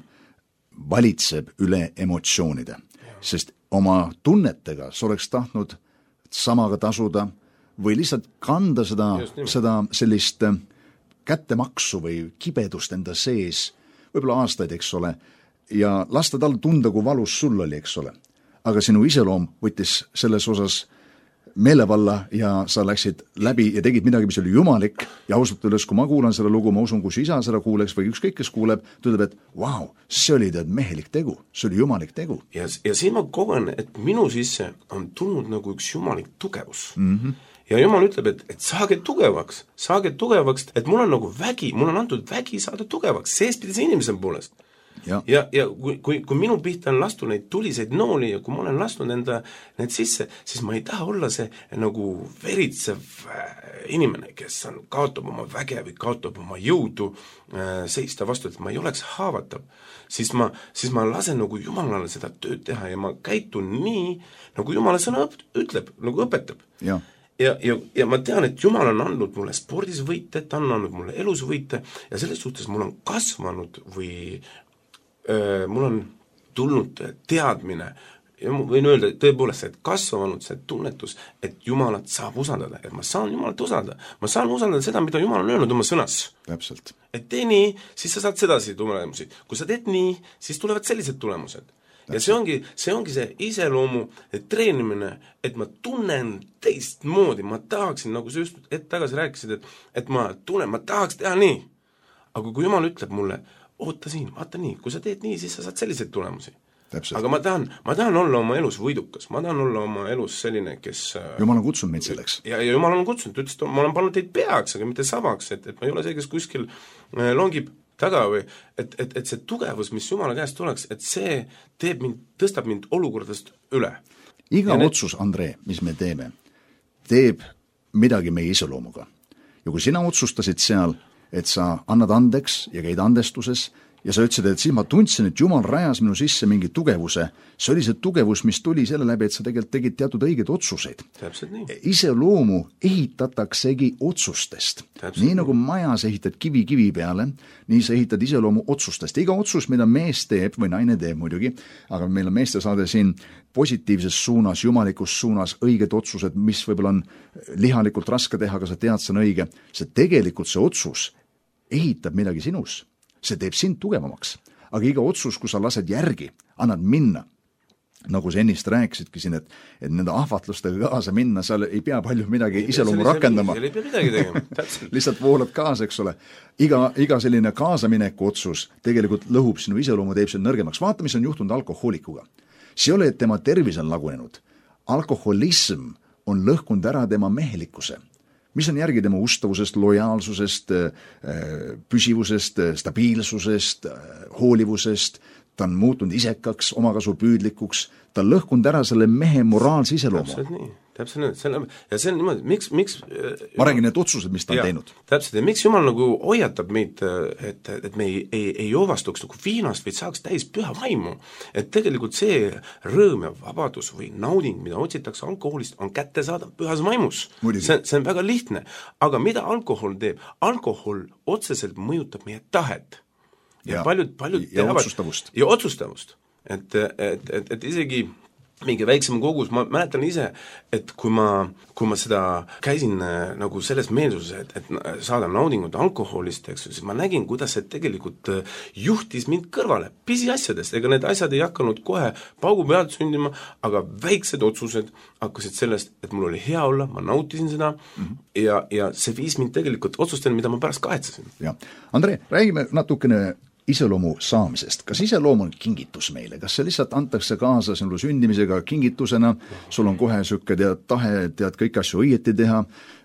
valitseb üle emotsioonide, sest oma tunnetega sa oleks tahtnud samaga tasuda või lihtsalt kanda seda sellist kättemaksu või kibedust enda sees, võib-olla aastaid, eks ole, ja lasta tal tunda, kui valus sul oli, eks ole. Aga sinu iseloom võttis selles osas meelevalla ja sa läksid läbi ja tegid midagi, mis oli jumalik ja ausalt öeldes, kui ma kuulan seda lugu, ma usun, kui su isa seda kuuleks või ükskõik, kes kuuleb, ta ütleb, et vau, see oli mehelik tegu, see oli jumalik tegu. Ja siin ma kogen, et minu sisse on tulnud nagu üks jumalik tugevus. Ja Jumal ütleb, et saage tugevaks, et mul on nagu vägi, mul on antud vägi saada tugevaks, seespidise inimese poolest. Ja kui minu pihta on lastud neid tuliseid nooli ja kui ma olen lastud need sisse, siis ma ei taha olla see nagu veritsev inimene, kes kaotab oma väge või kaotab oma jõudu seista vastu, et ma ei oleks haavatav. Siis ma lasen nagu Jumalale seda tööd teha ja ma käitun nii, nagu Jumala sõna ütleb, nagu õpetab. Ja ma tean, et Jumal on andnud mulle spordis võite, ta on andnud mulle elus võite ja selles suhtes mul on kasvanud või mul on tulnud teadmine ja ma võin öelda tõepoolest, et kasvanud see tunnetus, et Jumalat saab usaldada, et ma saan Jumalat usaldada. Ma saan usaldada seda, mida Jumal on öelnud oma sõnas. Täpselt. Et tee nii, siis sa saad sedasi tulemusi. Kui sa teed nii, siis tulevad sellised tulemused. Ja see ongi see iseloomu treenimine, et ma tunnen teistmoodi, ma tahaksin, nagu sa just tagasi rääkisid, et ma tunnen, ma tahaks teha nii. Aga kui Jumal ütleb mulle, oota siin, vaata nii, kui sa teed nii, siis sa saad selliseid tulemusi. Täpselt. Aga ma tahan olla oma elus võidukas, ma tahan olla oma elus selline, kes Jumal on kutsunud meid selleks. Ja Jumal on kutsunud, ütles, et ma olen pannud teid peaks, aga mitte sabaks, et ma ei ole see, kes kuskil longib taga või, et see tugevus, mis Jumala käest tuleks, et see tõstab mind olukordast üle. Iga otsus, Andre, mis me teeme, teeb midagi meie iseloomuga. Ja kui sina otsustasid seal, et sa annad andeks ja käid andestuses ja sa ütlesid, et siis ma tundsin, et Jumal rajas minu sisse mingi tugevuse. See oli see tugevus, mis tuli selle läbi, et sa tegelikult tegid teatud õigeid otsuseid. Iseloomu ehitataksegi otsustest. Nii nagu majas ehitad kivi peale, nii sa ehitad iseloomu otsustest. Iga otsus, mida mees teeb või naine teeb muidugi, aga meil on meeste saade siin positiivses suunas, jumalikus suunas, õiged otsused, mis võib-olla on lihalikult raske teha, aga sa tead, see on õige. See tegelikult see otsus ehitab midagi sinus. See teeb sind tugevamaks. Aga iga otsus, kui sa lased järgi, annad minna. Nagu sa ennist rääkisidki siin, et nende ahvatlustega kaasa minna, seal ei pea palju midagi iseloomu rakendama. Ei pea midagi tegema. Lihtsalt voolad kaasa, eks ole. Iga selline kaasamineku otsus tegelikult lõhub sinu iseloomu, teeb sind nõrgemaks. Vaata, mis on juhtunud alkohoolikuga. See ole, et tema tervis on lagunenud. Alkoholism on lõhkunud ära tema mehelikkuse. Mis on järgi tema ustavusest, lojaalsusest, püsivusest, stabiilsusest, hoolivusest, ta on muutunud isekaks, omakasu püüdlikuks, ta on lõhkunud ära selle mehe moraalse iseloomu. täpselt nii, ja see on niimoodi, miks ma räägin need otsused, mis ta on teinud. Täpselt, ja miks Jumal nagu hoiatab meid, et me ei joovastuks nagu viinast, vaid saaks täis püha vaimu. Et tegelikult see rõõm ja vabadus või nauding, mida otsitakse alkoholist, on kättesaadav pühas vaimus. See on väga lihtne. Aga mida alkohol teeb? Alkohol otseselt mõjutab meie tahet. Ja paljud teavad, otsustavust. Ja otsustavust. Et isegi mingi väiksem kogus, ma mäletan ise, et kui ma seda käisin nagu selles meelsuses, et saada naudingut alkoholist, eks, siis ma nägin, kuidas see tegelikult juhtis mind kõrvale pisiasjadest, ega need asjad ei hakanud kohe paugu pealt sündima, aga väiksed otsused hakkasid sellest, et mul oli hea olla, ma nautisin seda ja see viis mind tegelikult otsusteni, mida ma pärast kahetsesin. Ja. Andre, räägime natukene iseloomu saamisest. Kas iseloom on kingitus meile? Kas see lihtsalt antakse kaasa sinule sündimisega kingitusena? Sul on kohe sükke tahe, tead kõik asju õieti teha,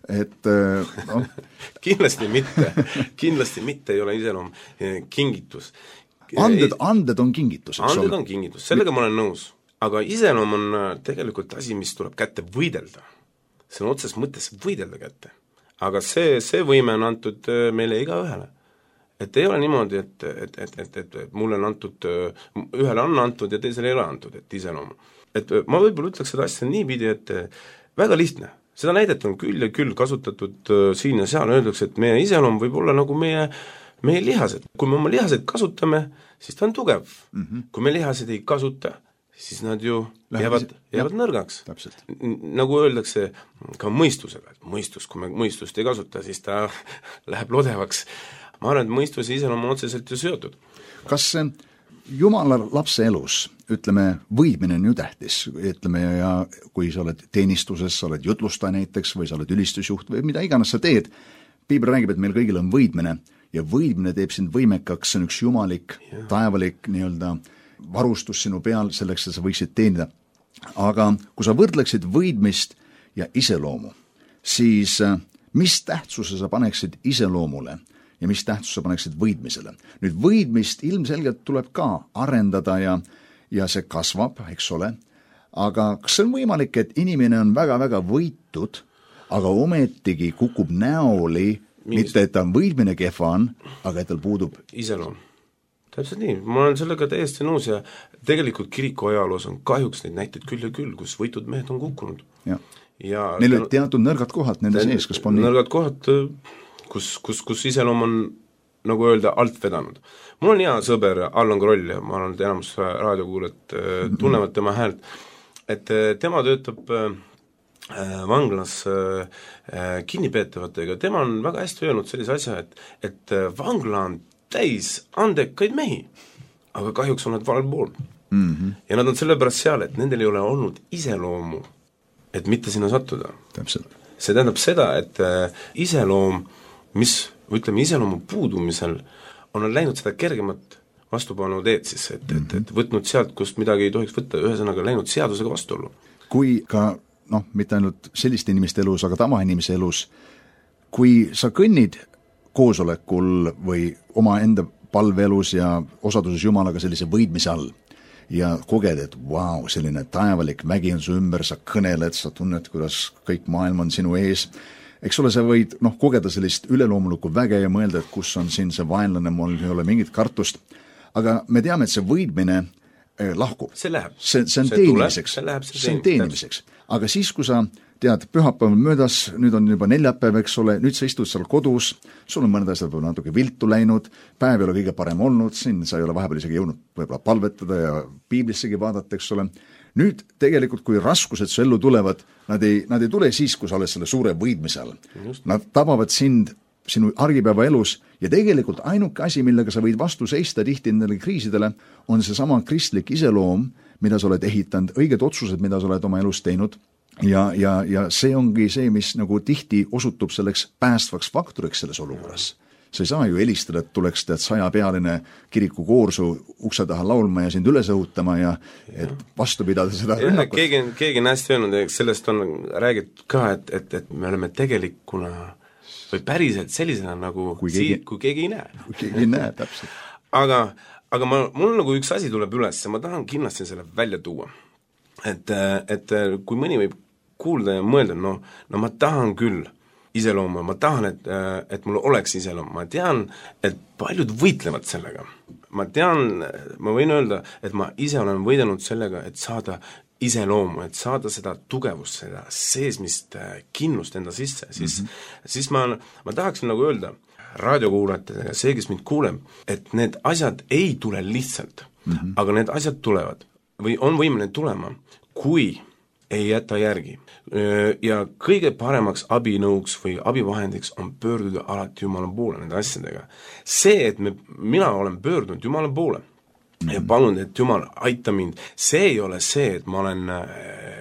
et no. Kindlasti mitte ei ole iseloom kingitus. Anded on kingitus. Anded on kingitus, sellega ma olen nõus. Aga iseloom on tegelikult asi, mis tuleb kätte võidelda. See on otses mõttes võidelda kätte. Aga see võime on antud meile iga ühele. Et ei ole niimoodi, et mulle on antud, ühele on antud ja teisele ei ole antud, et iseloom. Et ma võib-olla ütleks seda asja niipidi, et väga lihtne. Seda näidet on küll ja küll kasutatud siin ja seal, öeldakse, et meie iseloom võib olla nagu meie lihased. Kui me oma lihased kasutame, siis ta on tugev. Kui me lihased ei kasuta, siis nad ju jäävad nõrgaks. Nagu öeldakse ka mõistusega, et mõistus, kui me mõistust ei kasuta, siis ta läheb lodevaks. Ma arvan, et mõistuse iseloom on otseselt ju seotud. Kas Jumala lapse elus, ütleme, võidmine on ju tähtis, ütleme, ja kui sa oled teenistuses, sa oled jutlustaja näiteks või sa oled ülistusjuht või mida iganes sa teed, Piibel räägib, et meil kõigil on võidmine ja võidmine teeb sind võimekaks, see on üks jumalik, taevalik nii-öelda varustus sinu peal selleks, et sa võiksid teenida. Aga kui sa võrdleksid võidmist ja iseloomu, siis mis tähtsuse sa paneksid iseloomule ja mis tähtsuse paneksid võidmisele. Nüüd võidmist ilmselgelt tuleb ka arendada ja see kasvab, eks ole, aga kas see on võimalik, et inimene on väga-väga võitud, aga ometigi kukub näoli, mitte et ta on võidmine kehva on, aga et tal puudub iseloom. Täpselt nii, ma olen sellega täiesti nõus ja tegelikult kiriku ajaloos on kahjuks neid näiteid küll ja küll, kus võitud mehed on kukkunud. Ja neil olid teatud nõrgad kohad nende sees, kas pon nii? Nõrgad kohad, kus iseloom on, nagu öelda, alt vedanud. Mul on hea sõber Allan Kroll ja ma olen enamus raadiokuulajad tunnevad tema häält, et tema töötab vanglas kinnipeetavatega. Tema on väga hästi öelnud sellise asja, et vangla on täis andekaid mehi, aga kahjuks on nad valel pool. Ja nad on sellepärast seal, et nendel ei ole olnud iseloomu, et mitte sinna sattuda. Täpselt. See tähendab seda, et iseloom, iseloomu puudumisel on läinud seda kergemat vastupanu teed siis, et võtnud sealt, kust midagi ei tohiks võtta, ühesõnaga läinud seadusega vastuollu. Kui ka, mitte ainult selliste inimeste elus, aga tavainimese elus, kui sa kõnnid koosolekul või oma enda palveelus ja osaduses Jumalaga sellise võidmise all ja koged, et vau, selline taevalik vägi on su ümber, sa kõneled, sa tunned, kuidas kõik maailm on sinu ees. Eks ole, sa võid kogeda sellist üleloomulikku väge ja mõelda, et kus on siin see vaenlane, mul ei ole mingit kartust. Aga me teame, et see võidmine lahkub. See läheb. See on teenimiseks. See on teenimiseks. Aga siis, kui sa tead, pühapäev möödas, nüüd on juba neljapäev, eks ole, nüüd sa istud seal kodus, sul on mõned asjad võib-olla natuke viltu läinud, päev ei ole kõige parem olnud, siin sa ei ole vahepeal isegi jõudnud võib-olla palvetada ja piiblissegi vaadata, eks ole. Nüüd tegelikult, kui raskused su ellu tulevad, nad ei tule siis, kui sa oled selle suure võidmise all. Nad tabavad sind sinu argipäeva elus ja tegelikult ainuke asi, millega sa võid vastu seista tihti nendele kriisidele, on see sama kristlik iseloom, mida sa oled ehitanud, õiged otsused, mida sa oled oma elus teinud ja see ongi see, mis nagu tihti osutub selleks päästvaks faktoriks selles olukorras. Sa ei saa ju helistada, et tuleks 100-pealine kirikukoorsu ukse taha laulma ja sind üles õhutama ja et vastu pidada seda rünnakut. Keegi on hästi öelnud, sellest on räägitud ka, et me oleme tegelikuna või päriselt sellisena nagu kui keegi ei näe. Kui keegi ei näe, täpselt. Aga mul nagu üks asi tuleb üles ja ma tahan kindlasti selle välja tuua. Et kui mõni võib kuulda ja mõelda, no ma tahan küll iseloomu, ma tahan, et mul oleks iseloom, ma tean, et paljud võitlevad sellega. Ma tean, ma võin öelda, et ma ise olen võidelnud sellega, et saada iseloomu, et saada seda tugevust, seda seesmist kinnust enda sisse, siis ma tahaksin nagu öelda raadiokuulajatega, see, kes mind kuuleb, et need asjad ei tule lihtsalt, aga need asjad tulevad või on võimeline tulema, kui ei jäta järgi. Ja kõige paremaks abinõuks või abivahendiks on pöörduda alati Jumala poole nende asjadega. See, et mina olen pöördunud Jumala poole ja palun, et Jumal aita mind, see ei ole see, et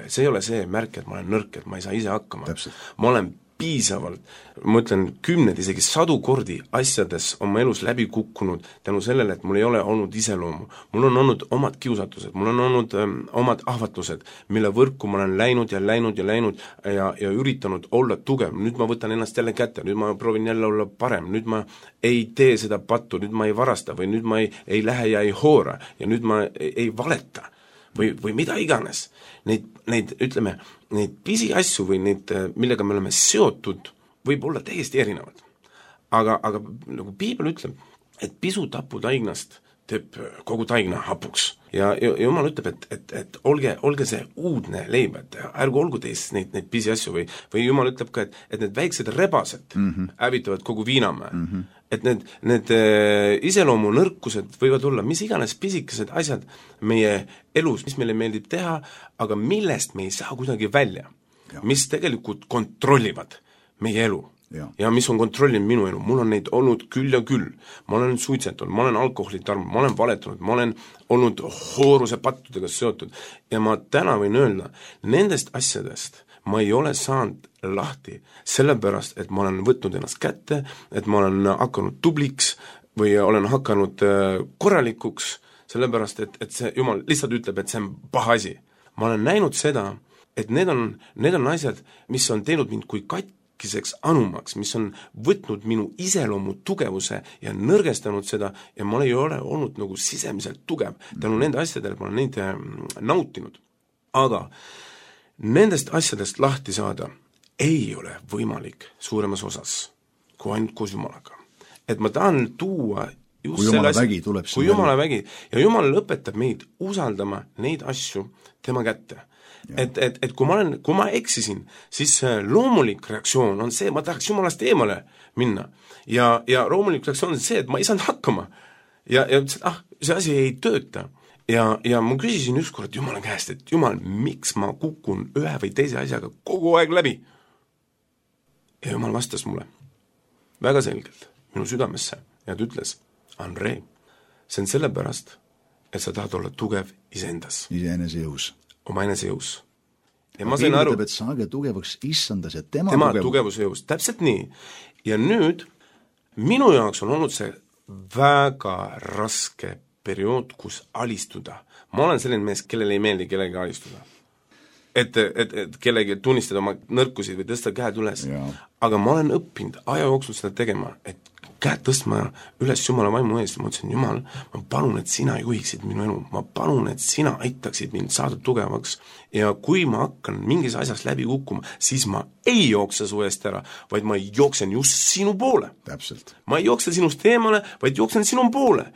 see ei ole see märk, et ma olen nõrk, et ma ei saa ise hakkama. Ma olen piisavalt, ma ütlen 10, isegi 100 kordi asjades oma elus läbi kukkunud tänu sellele, et mul ei ole olnud iseloomu. Mul on olnud omad kiusatused, mul on olnud omad ahvatlused, mille võrku ma olen läinud ja üritanud olla tugev. Nüüd ma võtan ennast jälle kätte, nüüd ma proovin jälle olla parem, nüüd ma ei tee seda pattu, nüüd ma ei varasta või nüüd ma ei lähe ja ei hoora ja nüüd ma ei valeta või mida iganes. Neid pisiasju või neid, millega me oleme seotud, võib olla täiesti erinevad. Aga nagu Piibel ütleb, et pisu tapu taignast teeb kogu taigna hapuks. Ja Jumal ütleb, et olge see uudne leib, et ärgu olgu teist neid pisiasju või Jumal ütleb ka, et need väiksed rebased hävitavad kogu viinamäe. Et need iseloomu nõrkused võivad olla mis iganes pisikesed asjad meie elus, mis meile meeldib teha, aga millest me ei saa kuidagi välja, mis tegelikult kontrollivad meie elu. Ja mis on kontrollinud minu elu, mul on neid olnud küll ja küll, ma olen suitsetanud, ma olen alkoholitarm, ma olen valetanud, ma olen olnud hooruse pattudega seotud ja ma täna võin öelda, nendest asjadest ma ei ole saanud lahti, sellepärast, et ma olen võtnud ennast kätte, et ma olen hakanud tubliks või olen hakanud korralikuks, sellepärast, et see Jumal lihtsalt ütleb, et see on paha asi. Ma olen näinud seda, et need on asjad, mis on teinud mind kui katkiseks anumaks, mis on võtnud minu iseloomu tugevuse ja nõrgestanud seda ja ma ei ole olnud nagu sisemiselt tugev. Tänu nende asjadele ma olen neid nautinud. Aga nendest asjadest lahti saada ei ole võimalik suuremas osas kui ainult koos Jumalaga. Et ma tahan tuua just kui Jumala vägi tuleb kui Jumala vägi ja Jumal õpetab meid usaldama neid asju tema kätte. Et kui ma eksisin, siis loomulik reaktsioon on see, ma tahaks Jumalast eemale minna ja loomulik reaktsioon on see, et ma ei saanud hakkama ja see asi ei tööta ja ma küsisin ükskord Jumala käest, et Jumal, miks ma kukun ühe või teise asjaga kogu aeg läbi ja Jumal vastas mulle väga selgelt minu südamesse ja ta ütles, Andrei, see on sellepärast, et sa tahad olla tugev iseendas. Iseenese jõus. Oma enese jõus. Ja ma sain aru, et saage tugevaks issandas ja tema tugevuse jõus. Täpselt nii. Ja nüüd minu jaoks on olnud see väga raske periood, kus alistuda. Ma olen selline mees, kellele ei meeldi kellegi alistuda. Et kellegi tunnistada oma nõrkusid või tõsta käed üles. Aga ma olen õppinud aja jooksul seda tegema, et käed tõstma üles Jumala vaimu eest. Ma ütlesin, Jumal, ma palun, et sina juhiksid minu elu. Ma palun, et sina aitaksid mind saada tugevaks. Ja kui ma hakkan mingis asjas läbi kukkuma, siis ma ei jookse su eest ära, vaid ma jooksen just sinu poole. Täpselt. Ma ei jookse sinust eemale, vaid jooksen sinu poole.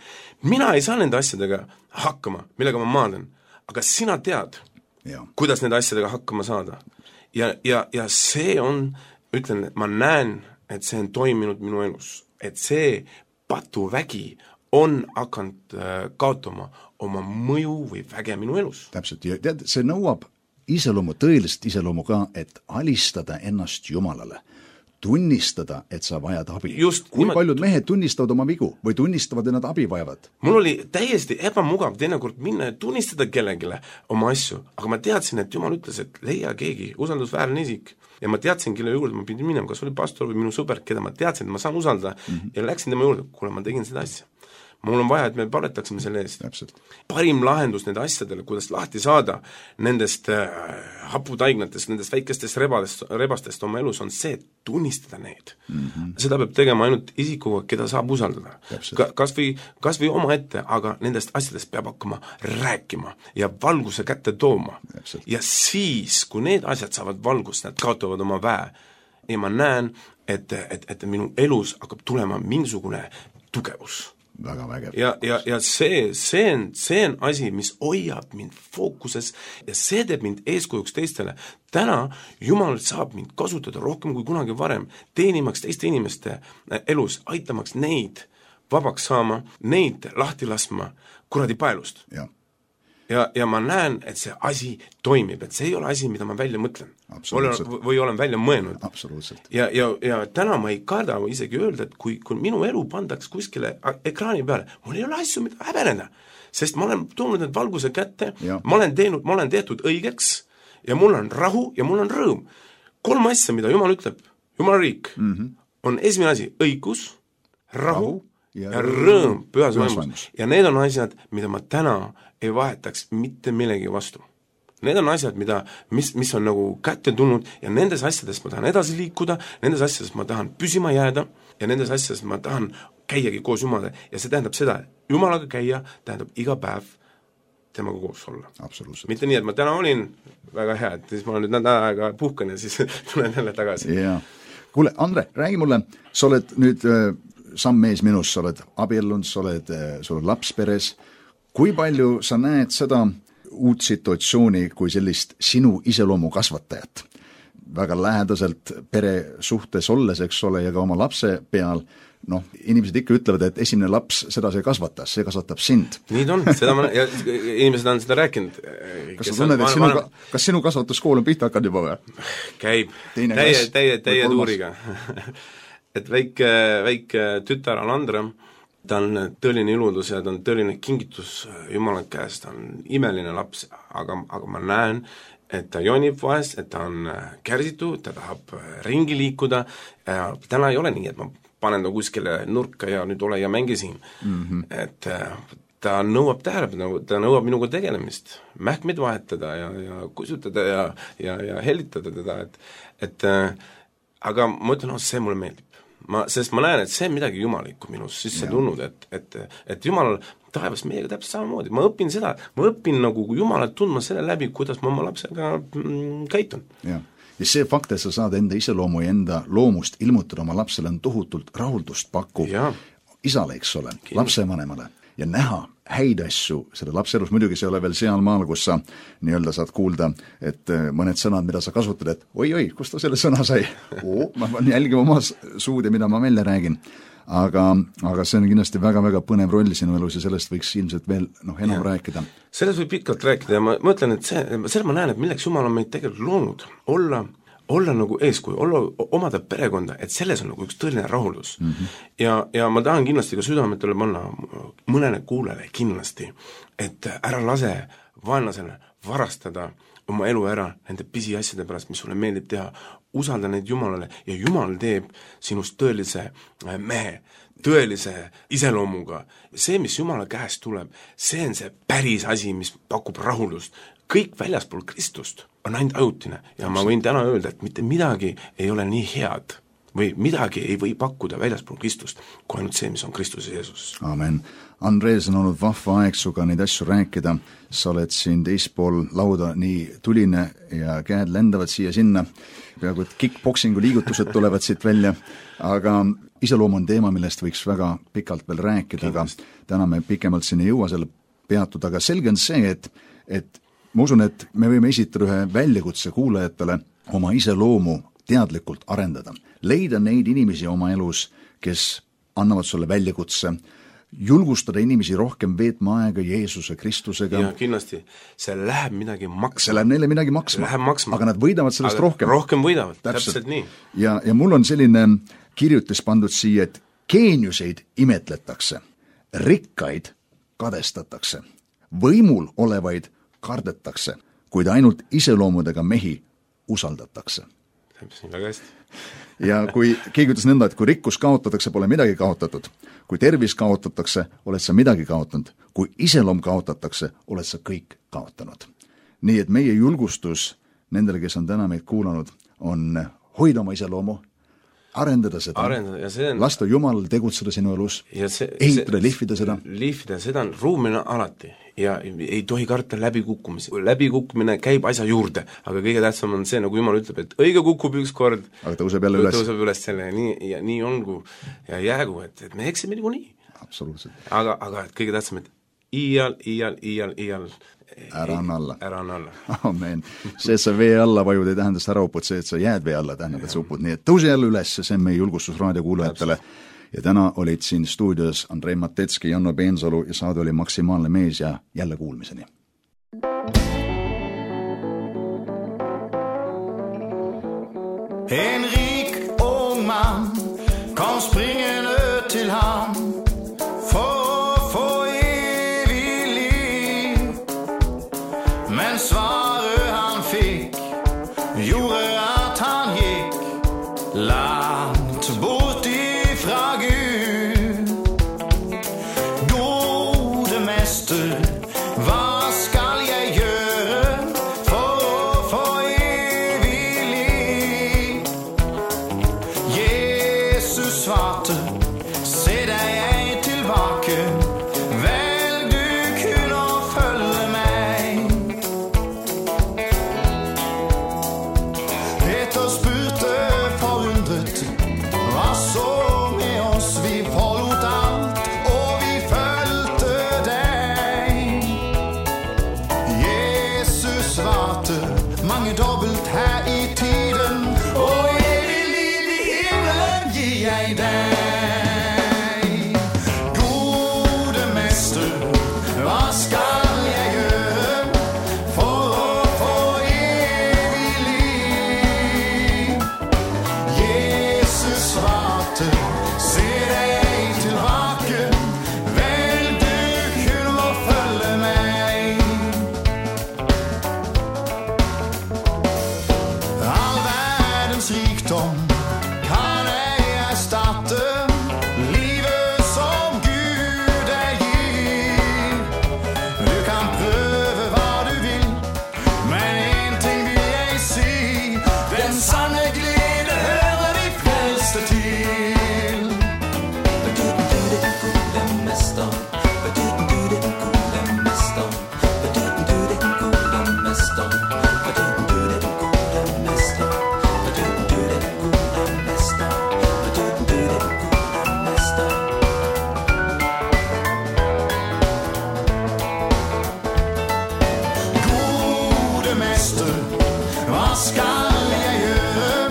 Mina ei saa nende asjadega hakkama, millega ma maadlen. Aga sina tead, kuidas nende asjadega hakkama saada. Ja see on, ütlen, ma näen, et see on toiminud minu elus. Et see patuvägi on hakanud kaotama oma mõju või väge minu elus. Täpselt, ja tead, see nõuab iseloomu, tõelist iseloomu ka, et alistada ennast Jumalale. Tunnistada, et sa vajad abi. Kui paljud mehed tunnistavad oma vigu või tunnistavad, et nad abi vajavad? Mul oli täiesti ebamugav teinekord minna ja tunnistada kellegile oma asju, aga ma teadsin, et Jumal ütles, et leia keegi usaldusväärne isik. Ja ma teadsin, kelle juurde ma pidin minema, kas oli pastor või minu sõber, keda ma teadsin, et ma saan usaldada ja läksin tema juurde, kuule, ma tegin seda asja. mul on vaja, et me paletaksime selle eest. Täpselt. Parim lahendus nende asjadele, kuidas lahti saada nendest haputaignatest, nendest väikestest rebastest oma elus on see, et tunnistada neid. Seda peab tegema ainult isikuga, keda saab usaldada. Kas või oma ette, aga nendest asjadest peab hakkama rääkima ja valguse kätte tooma. Ja siis, kui need asjad saavad valgust, nad kaotavad oma väe ja ma näen, et minu elus hakkab tulema mingisugune tugevus. Väga vägev. Ja see on asi, mis hoiab mind fookuses ja see teeb mind eeskujuks teistele. Täna Jumal saab mind kasutada rohkem kui kunagi varem, teenimaks teiste inimeste elus, aitamaks neid vabaks saama, neid lahti laskma kuradi paelust. Ja ma näen, et see asi toimib, et see ei ole asi, mida ma välja mõtlen. Või olen välja mõelnud. Absoluutselt. Ja täna ma ei karda isegi öelda, et kui minu elu pandaks kuskile ekraani peale, mul ei ole asju, mida häbeneda. Sest ma olen tulnud need valguse kätte, ma olen tehtud õigeks ja mul on rahu ja mul on rõõm. 3 asja, mida Jumal ütleb, Jumala riik, on esimene asi, õigus, rahu ja rõõm pühas vaimus. Ja need on asjad, mida ma täna ei vahetaks mitte millegi vastu. Need on asjad, mis on nagu kätte tulnud ja nendes asjades ma tahan edasi liikuda, nendes asjades ma tahan püsima jääda ja nendes asjades ma tahan käiagi koos Jumala ja see tähendab seda, et Jumalaga käia tähendab iga päev temaga koos olla. Absoluutselt. Mitte nii, et ma täna olin väga hea, et siis ma nüüd nädal aega puhkan ja siis tulen jälle tagasi. Ja. Kuule, Andre, räägi mulle, sa oled nüüd samm mees minust, sa oled abiellunud, sul on laps peres. Kui palju sa näed seda uut situatsiooni kui sellist sinu iseloomu kasvatajat? Väga lähedaselt pere suhtes olles, eks ole, ja ka oma lapse peal, inimesed ikka ütlevad, et esimene laps seda see kasvatas, see kasvatab sind. Nii on, ja inimesed on seda rääkinud. Kas sa tunned, et kas sinu kasvatuskool on pihta hakanud juba või? Käib, täie tuuriga. Et väike tütar Alandra, ta on tõeline iludus ja ta on tõeline kingitus Jumala käest, ta on imeline laps, aga ma näen, et ta jonib vahest, et ta on kärsitu, ta tahab ringi liikuda ja täna ei ole nii, et ma panen ta kuskile nurka ja nüüd ole ja mängi siin. Et ta nõuab tähelepanu, ta nõuab minuga tegelemist, mähkmeid vahetada ja kusutada ja helitada teda, et aga ma ütlen, see mulle meeldib. Sest ma näen, et see on midagi jumalikku minus sisse tulnud, et Jumal taevas meiega täpselt samamoodi. Ma õpin nagu Jumalat tundma selle läbi, kuidas ma oma lapsega käitun. Ja see fakt, et sa saad enda iseloomu ja enda loomust ilmutada oma lapsele on tohutult rahuldust pakkuv isale, eks ole, lapsevanemale ja näha häid asju selle lapse elus, muidugi see ei ole veel seal maal, kus sa nii-öelda saad kuulda, et mõned sõnad, mida sa kasutad, et oi, kust ta selle sõna sai? Ma pean jälgima oma suud ja mida ma välja räägin. Aga see on kindlasti väga-väga põnev roll sinu elus ja sellest võiks ilmselt veel enam rääkida. Sellest võib pikalt rääkida ja ma mõtlen, et selle ma näen, et milleks Jumal on meid tegelikult loonud, olla nagu eeskuju, omada perekonda, et selles on nagu üks tõeline rahuldus. Ja ma tahan kindlasti ka südametele panna mõnele kuulele kindlasti, et ära lase vaenlasele varastada oma elu ära nende pisiasjade pärast, mis sulle meeldib teha, usalda neid Jumalale ja Jumal teeb sinust tõelise mehe, tõelise iseloomuga. See, mis Jumala käest tuleb, see on see päris asi, mis pakub rahuldust. Kõik väljaspool Kristust on ainult ajutine ja ma võin täna öelda, et mitte midagi ei ole nii head või midagi ei või pakkuda väljaspool Kristust, kui ainult see, mis on Kristus ja Jeesus. Amen. Andres, on olnud vahva aeg suga neid asju rääkida, sa oled siin teispool lauda nii tuline ja käed lendavad siia-sinna, peaaegu et kickboxingu liigutused tulevad siit välja, aga iseloom on teema, millest võiks väga pikalt veel rääkida, aga täna me pikemalt siin ei jõua selle peatuda, aga selge on see, et ma usun, et me võime esitada ühe väljakutse kuulajatele oma iseloomu teadlikult arendada. Leida neid inimesi oma elus, kes annavad sulle väljakutse, julgustada inimesi rohkem veetma aega Jeesuse Kristusega. Ja kindlasti, see läheb midagi maksma. See läheb neile midagi maksma. Aga nad võidavad sellest rohkem. Rohkem võidavad, täpselt nii. Ja mul on selline kirjutis pandud siia, et geeniuseid imetletakse, rikkaid kadestatakse, võimul olevaid kardetakse, kuid ainult iseloomudega mehi usaldatakse. Täpselt, väga hästi. ja kui keegi ütles nõnda, et kui rikkus kaotatakse, pole midagi kaotatud. Kui tervis kaotatakse, oled sa midagi kaotanud. Kui iseloom kaotatakse, oled sa kõik kaotanud. Nii et meie julgustus nendele, kes on täna meid kuulanud, on hoida oma iseloomu, arendada seda, lasta Jumalal tegutseda sinu elus, ehitada, lihvida seda. Lihvida seda on ruumina alati ja ei tohi karta läbikukkumisi. Läbikukkumine käib asja juurde, aga kõige tähtsam on see, nagu Jumal ütleb, et õige kukub üks kord, aga tõuseb jälle üles. Tõuseb üles selle ja nii ongu ja jäägu, et me eksime nagu nii. Absoluutselt. Aga kõige tähtsam, et iial ära anna alla. Ära anna alla. Amen. See, et sa vee alla vajud, ei tähenda, et sa ära upud, see, et sa jääd vee alla, tähendab, et sa upud. Nii et tõuse jälle üles, see on meie julgustus raadiokuulajatele. Ja täna olid siin stuudios Andrei Matetski, Janno Peensalu ja saade oli Maksimaalne mees ja jälle kuulmiseni. En rik ung man kom springende til ham for at få evig liv. Men svaret han fik gjorde at han gik langt bort ifra Gud. Gode mester, hvad skal jeg gøre for at få evig liv? Jesus svarte, se dig jeg tilbage, vel du kunne følge mig. Peter spurgte forundret, hvad så med os, vi forlot alt, og vi følte dig. Jesus svarte, mange dobbelt her i tiden, og evig liv i himlen giver jeg dig. Gode mester, hvad skal jeg gøre for at få evig liv? Jesus svarte, se dig tilbage, vel du kunne følge mig. All verdens rikdom kan ej erstatte livet som Gud gir. Du kan prøve hvad du vil, men en ting vil jeg si, den sanne glede hører de fleste til. Gode mester, hvad skal jeg gøre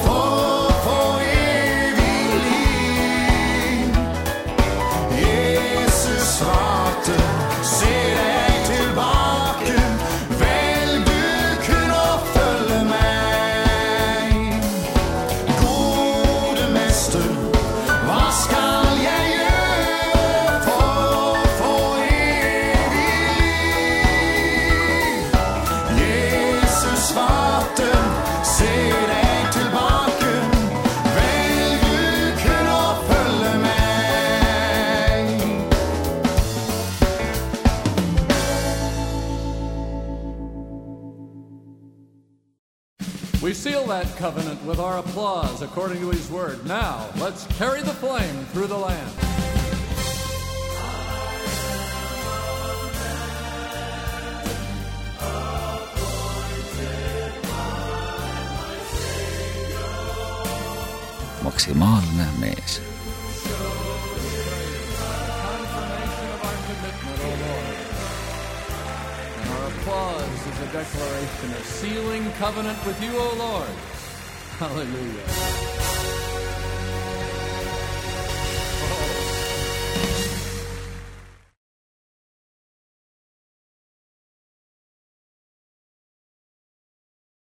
for at få evig liv? Jesus svarte, se dig tilbage, vel du kunne følge mig. Gode mester, hvad skal jeg gøre for at få evig liv? Jesus svarte, se dig tilbage, vel du kunne følge mig. We seal that covenant with our applause according to his word. Now, let's carry the flame through the land. Maksimaalne mees. Confirmation of our commitment, O Lord. And our applause is a declaration of sealing covenant with you, O Lord. Hallelujah.